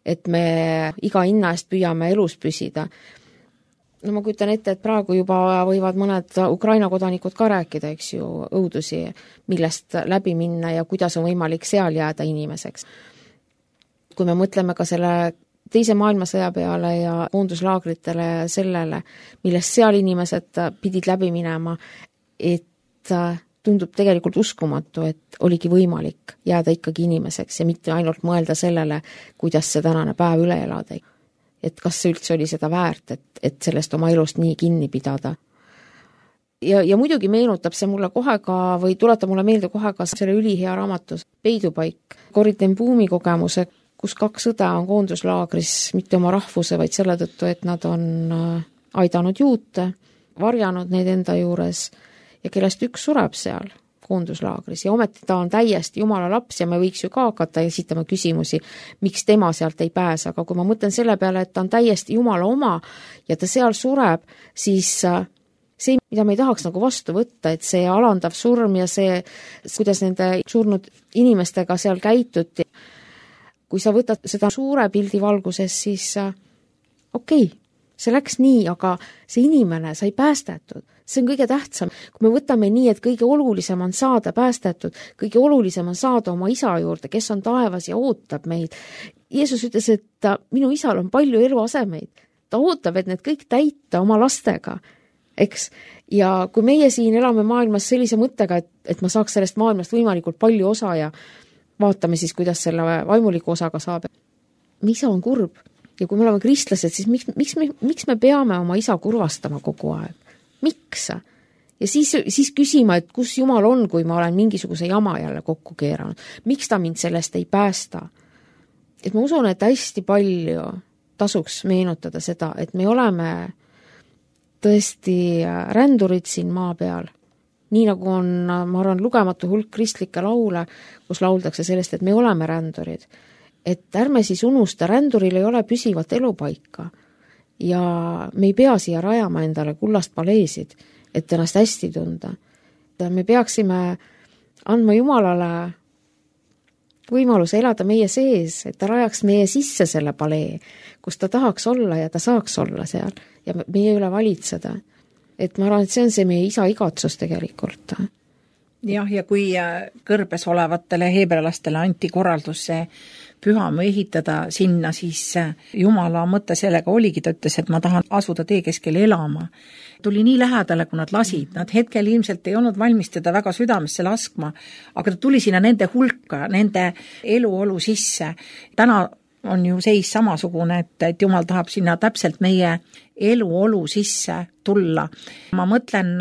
et me iga hinna eest püüame elus püsida. No ma kujutan ette, et praegu juba võivad mõned Ukraina kodanikud ka rääkida, eks ju, õudusi, millest läbi minna ja kuidas on võimalik seal jääda inimeseks. Kui me mõtleme ka selle teise maailmasõja peale ja koonduslaagritele ja sellele, millest seal inimesed pidid läbi minema, et tundub tegelikult uskumatu, et oligi võimalik jääda ikkagi inimeseks ja mitte ainult mõelda sellele, kuidas see tänane päev üle elada. Et kas see üldse oli seda väärt, et, et sellest oma elust nii kinni pidada. Ja, ja muidugi meenutab see mulle kohe ka, või tuletab mulle meelde kohe ka selle ülihea raamatus Peidupaik, Corrie ten Boom'i kogemuse, kus kaks õde on koonduslaagris mitte oma rahvuse, vaid selle tõttu, et nad on aidanud juute, varjanud neid enda juures ja kellest üks sureb seal koonduslaagris ja ometi ta on täiesti Jumala laps ja me võiks ju ka hakata esitama küsimusi, miks tema sealt ei pääse, aga kui ma mõtlen selle peale, et ta on täiesti Jumala oma ja ta seal sureb, siis see, mida me ei tahaks nagu vastu võtta, et see alandav surm ja see, kuidas nende surnud inimestega seal käituti, kui sa võtad seda suure pildi valguses, siis okei, okay, see läks nii, aga see inimene sai päästetud. See on kõige tähtsam. Kui me võtame nii, et kõige olulisem on saada päästetud, kõige olulisem on saada oma isa juurde, kes on taevas ja ootab meid. Jeesus ütles, et minu isal on palju eluasemeid. Ta ootab, et need kõik täita oma lastega. Eks? Ja kui meie siin elame maailmas sellise mõttega, et, et ma saaks sellest maailmast võimalikult palju osa ja vaatame siis, kuidas selle vaimuliku osaga saab. Me isa on kurb. Ja kui me oleme kristlased, siis miks, miks, me, miks me peame oma isa kurvastama kogu aeg? Miks? Ja siis, siis küsima, et kus Jumal on, kui ma olen mingisuguse jama jälle kokku keeranud. Miks ta mind sellest ei päästa? Et ma usun, et hästi palju tasuks meenutada seda, et me oleme tõesti rändurid siin maa peal. Nii nagu on, ma arvan, lugematu hulk kristlikke laule, kus lauldakse sellest, et me oleme rändurid. Et ärme siis unusta, ränduril ei ole püsivat elupaika. Ja me ei pea siia rajama endale kullast paleesid, et ennast hästi tunda. Me peaksime andma Jumalale võimaluse elada meie sees, et ta rajaks meie sisse selle palee, kus ta tahaks olla ja ta saaks olla seal ja meie üle valitseda. Et ma arvan, et see on see meie isa igatsus tegelikult. Jah, ja kui kõrbes olevatele heebrealastele anti korraldus see pühamu ehitada sinna, siis Jumala mõte sellega oligi, ta ütles, et ma tahan asuda tee keskel elama. Tuli nii lähedale, kui nad lasid. Nad hetkel ilmselt ei olnud valmis teda väga südamesse laskma, aga ta tuli sinna nende hulka, nende eluolu sisse. Täna on ju seis samasugune, et, et Jumal tahab sinna täpselt meie eluolu sisse tulla. Ma mõtlen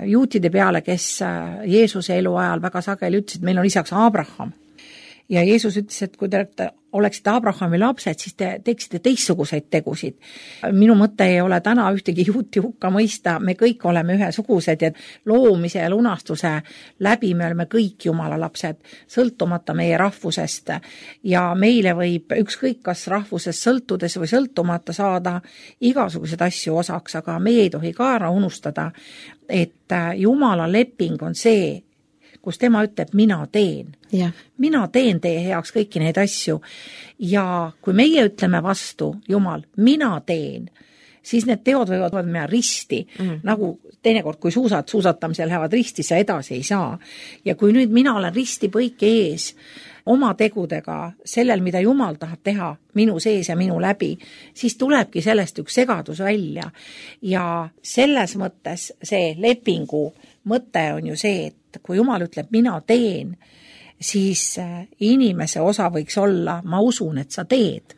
juutide peale, kes Jeesuse elu ajal väga sageli ütlesid, meil on isaks Abraham. Ja Jeesus ütles, et kui te oleksite Abrahami lapsed, siis te teeksite teistsuguseid tegusid. Minu mõte ei ole täna ühtegi juuti hukka mõista, me kõik oleme ühesugused ja loomise ja lunastuse läbi me oleme kõik Jumala lapsed, sõltumata meie rahvusest. Ja meile võib ükskõik kas rahvusest sõltudes või sõltumata saada igasugused asju osaks, aga meie ei tohi ka ära unustada, et Jumala leping on see, kus tema ütleb, mina teen. Ja. Mina teen teie heaks kõiki neid asju. Ja kui meie ütleme vastu, Jumal, mina teen, siis need teod võivad minna risti. Mm. Nagu teinekord, kui suusad suusatamisel lähevad risti, sa edasi ei saa. Ja kui nüüd mina olen risti põike ees oma tegudega sellel, mida Jumal tahab teha minu sees ja minu läbi, siis tulebki sellest üks segadus välja. Ja selles mõttes see lepingu mõte on ju see, et kui Jumal ütleb, mina teen, siis inimese osa võiks olla, ma usun, et sa teed.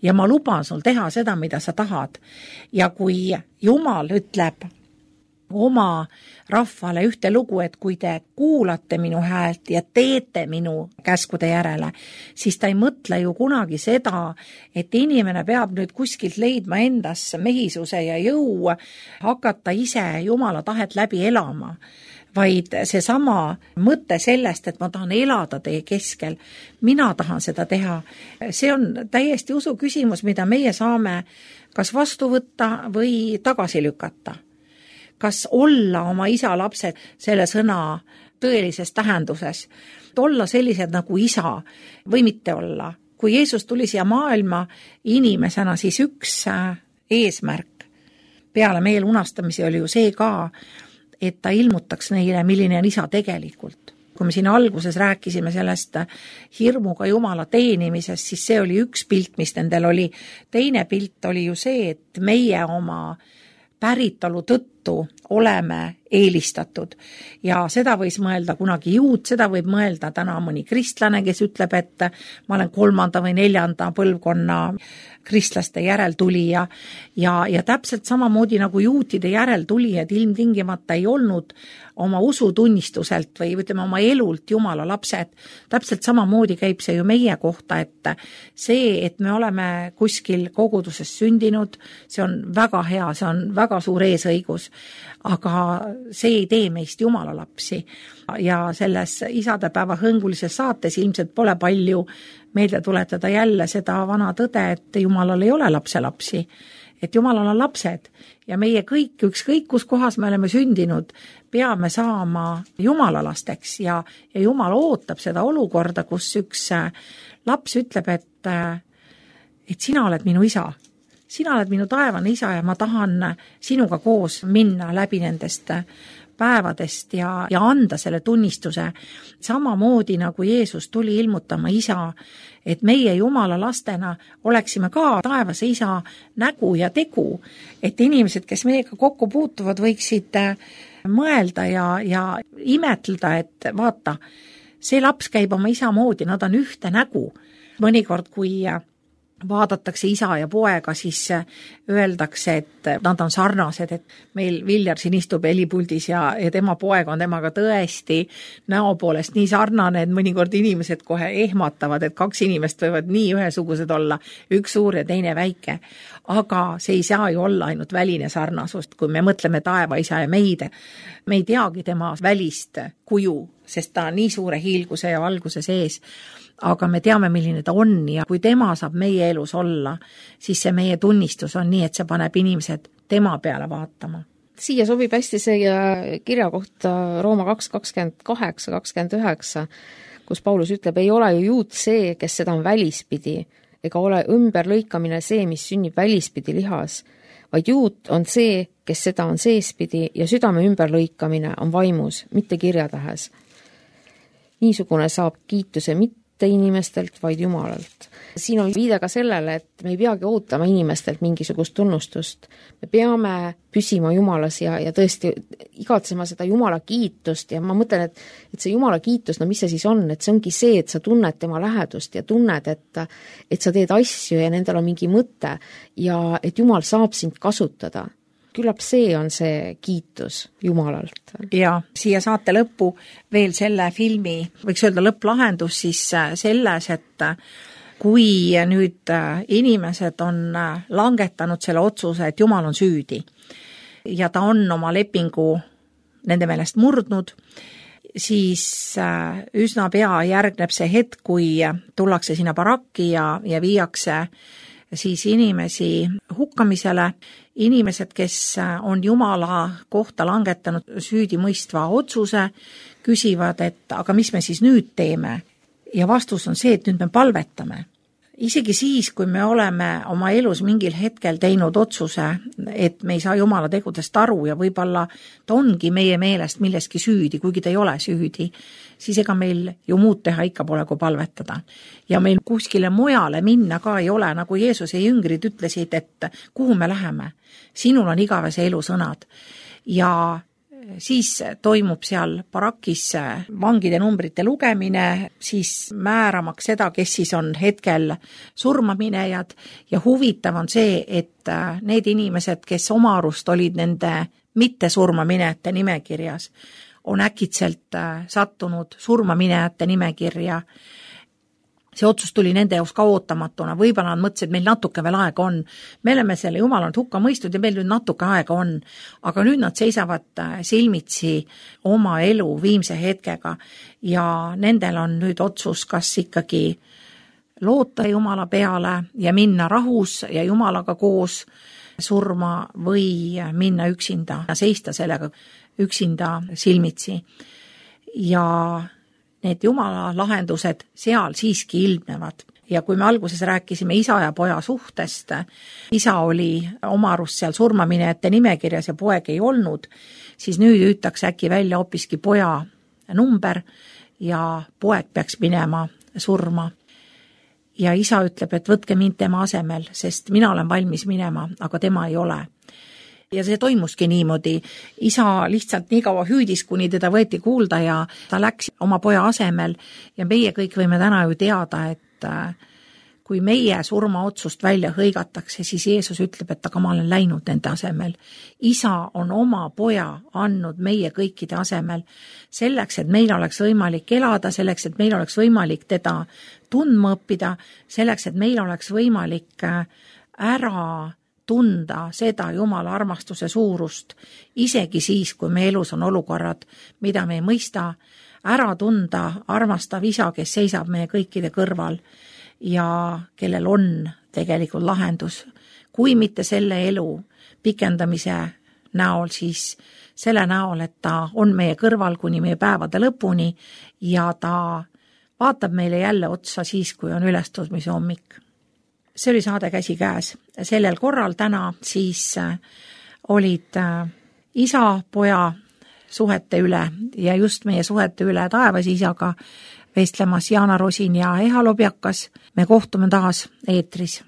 Ja ma luban sul teha seda, mida sa tahad. Ja kui Jumal ütleb oma rahvale ühte lugu, et kui te kuulate minu häält ja teete minu käskude järele, siis ta ei mõtle ju kunagi seda, et inimene peab nüüd kuskilt leidma endas mehisuse ja jõu, hakata ise Jumala tahet läbi elama, vaid see sama mõte sellest, et ma tahan elada teie keskel, mina tahan seda teha. See on täiesti usu küsimus, mida meie saame kas vastu võtta või tagasi lükata. Kas olla oma isa lapsed selle sõna tõelises tähenduses. Olla sellised nagu isa või mitte olla. Kui Jeesus tuli siia maailma inimesena, siis üks eesmärk peale meel unastamise oli ju see ka, et ta ilmutaks neile, milline on isa tegelikult. Kui me siin alguses rääkisime sellest hirmuga Jumala teenimisest, siis see oli üks pilt, mis nendel oli. Teine pilt oli ju see, et meie oma päritolu tõttu oleme eelistatud. Ja seda võis mõelda kunagi juut, seda võib mõelda täna mõni kristlane, kes ütleb, et ma olen kolmanda või neljanda põlvkonna kristlaste järeltulija. Ja, ja täpselt samamoodi nagu juutide järeltulijad ilmtingimata ei olnud oma usutunnistuselt või ütleme oma elult Jumala lapsed. Täpselt samamoodi käib see ju meie kohta, et see, et me oleme kuskil koguduses sündinud, see on väga hea, see on väga suur eesõigus, aga see ei tee meist Jumala lapsi. Ja selles isadepäeva hõngulises saates ilmselt pole palju meelde tuletada jälle seda vana tõde, et Jumalal ei ole lapselapsi, et Jumalal on lapsed ja meie kõik, ükskõik kus kohas me oleme sündinud, peame saama Jumala lasteks ja, ja Jumal ootab seda olukorda, kus üks laps ütleb, et, et sina oled minu isa. Sina oled minu taevane isa ja ma tahan sinuga koos minna läbi nendest päevadest ja, ja anda selle tunnistuse. Samamoodi nagu Jeesus tuli ilmutama isa, et meie Jumala lastena oleksime ka taevase isa nägu ja tegu, et inimesed, kes meiega kokku puutuvad, võiksid mõelda ja, ja imetleda, et vaata, see laps käib oma isa moodi, nad on ühte nägu. Mõnikord, kui vaadatakse isa ja poega, siis öeldakse, et nad on sarnased, et meil Viljar siin istub helipuldis ja, ja tema poeg on temaga tõesti näo poolest nii sarnane, et mõnikord inimesed kohe ehmatavad, et kaks inimest võivad nii ühesugused olla, üks suur ja teine väike. Aga see ei saa ju olla ainult väline sarnasust, kui me mõtleme taevaisa ja meid. Me ei teagi tema välist kuju, sest ta on nii suure hiilguse ja valguse sees. Aga me teame, milline ta on ja kui tema saab meie elus olla, siis see meie tunnistus on nii, et see paneb inimesed tema peale vaatama. Siia sobib hästi see kirja kohta Rooma kaks kakskümmend kaheksa kakskümmend üheksa, kus Paulus ütleb, ei ole ju juut see, kes seda on välispidi, ega ole ümberlõikamine see, mis sünnib välispidi lihas, vaid juut on see, kes seda on seespidi ja südame ümberlõikamine on vaimus, mitte kirjatähes. Niisugune saab kiituse mitte inimestelt, vaid Jumalalt. Siin on viide ka sellele, et me ei peagi ootama inimestelt mingisugust tunnustust. Me peame püsima Jumalas ja, ja tõesti igatsema seda Jumala kiitust ja ma mõtlen, et, et see Jumala kiitus, no mis see siis on, et see ongi see, et sa tunned tema lähedust ja tunned, et, et sa teed asju ja nendel on mingi mõte ja et Jumal saab sind kasutada. Küllap see on see kiitus Jumalalt. Ja siia saate lõppu veel selle filmi, võiks öelda lõpplahendus siis selles, et kui nüüd inimesed on langetanud selle otsuse, et Jumal on süüdi ja ta on oma lepingu nende meelest murdnud, siis üsna pea järgneb see hetk, kui tullakse sinna barakki ja, ja viiakse siis inimesi hukkamisele, inimesed, kes on Jumala kohta langetanud süüdimõistva otsuse, küsivad, et aga mis me siis nüüd teeme? Ja vastus on see, et nüüd me palvetame. Isegi siis, kui me oleme oma elus mingil hetkel teinud otsuse, et me ei saa Jumala tegudest aru ja võib-olla ta ongi meie meelest milleski süüdi, kuigi ta ei ole süüdi, siis ega meil ju muud teha ikka pole kui palvetada. Ja meil kuskile mujale minna ka ei ole, nagu Jeesuse jüngrid ütlesid, et kuhu me läheme. Sinul on igavese elu sõnad. Ja siis toimub seal barakis vangide numbrite lugemine, siis määramaks seda, kes siis on hetkel surmaminejad ja huvitav on see, et need inimesed, kes oma arust olid nende mitte surmaminejate nimekirjas, on äkitselt sattunud surmaminejate nimekirja. See otsus tuli nende jaoks ka ootamatuna, võib-olla nad mõtlesid, et meil natuke veel aega on. Me oleme selle Jumalanud hukka mõistud ja meil nüüd natuke aega on, aga nüüd nad seisavad silmitsi oma elu viimse hetkega ja nendel on nüüd otsus, kas ikkagi loota Jumala peale ja minna rahus ja Jumalaga koos surma või minna üksinda ja seista sellega üksinda silmitsi. ja need jumala lahendused seal siiski ilmnevad. Ja kui me alguses rääkisime isa ja poja suhtest, isa oli oma arust seal surmaminejate nimekirjas ja poeg ei olnud, siis nüüd hüütakse äkki välja hoopiski poja number ja poeg peaks minema surma. Ja isa ütleb, et võtke mind tema asemel, sest mina olen valmis minema, aga tema ei ole. Ja see toimuski niimoodi. Isa lihtsalt nii kaua hüüdis, kuni teda võeti kuulda ja ta läks oma poja asemel ja meie kõik võime täna ju teada, et kui meie surmaotsust välja hõigatakse, siis Jeesus ütleb, et aga ma olen läinud nende asemel. Isa on oma poja andnud meie kõikide asemel selleks, et meil oleks võimalik elada, selleks, et meil oleks võimalik teda tundma õppida, selleks, et meil oleks võimalik ära tunda seda Jumala armastuse suurust, isegi siis, kui me elus on olukorrad, mida me ei mõista, ära tunda armastav isa, kes seisab meie kõikide kõrval ja kellel on tegelikult lahendus. Kui mitte selle elu pikendamise näol, siis selle näol, et ta on meie kõrval kuni meie päevade lõpuni ja ta vaatab meile jälle otsa siis, kui on ülestõusmise hommik. See oli saade Käsikäes. Sellel korral täna siis olid isa, poja suhete üle ja just meie suhete üle taevas isaga vestlemas Jaana Rosin ja Eha Lobjakas. Me kohtume taas eetris.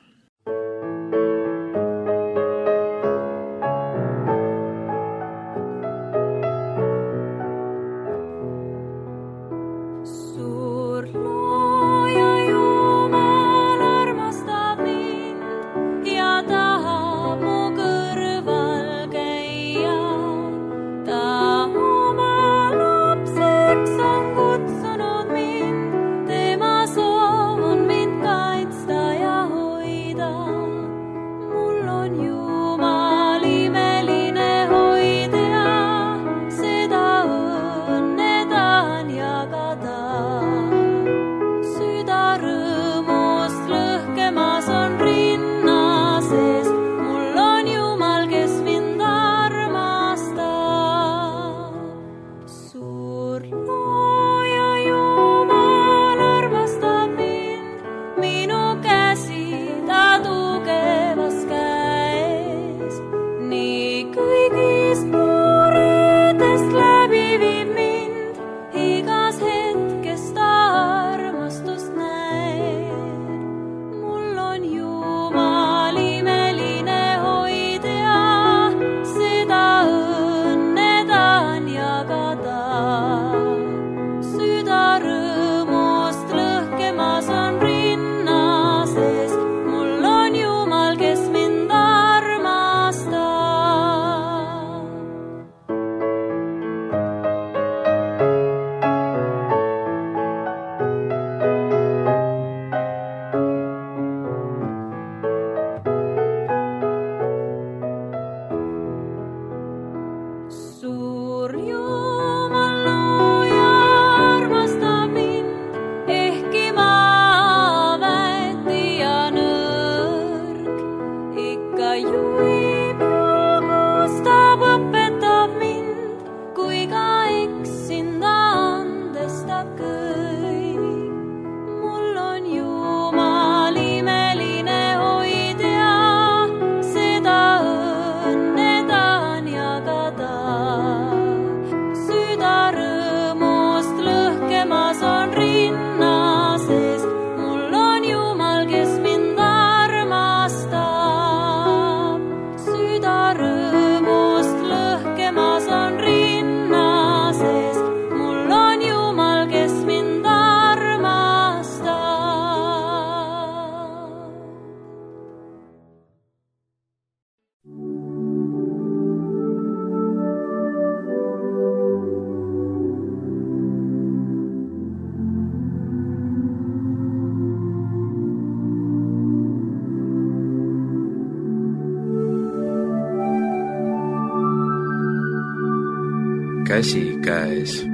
Käsikäes.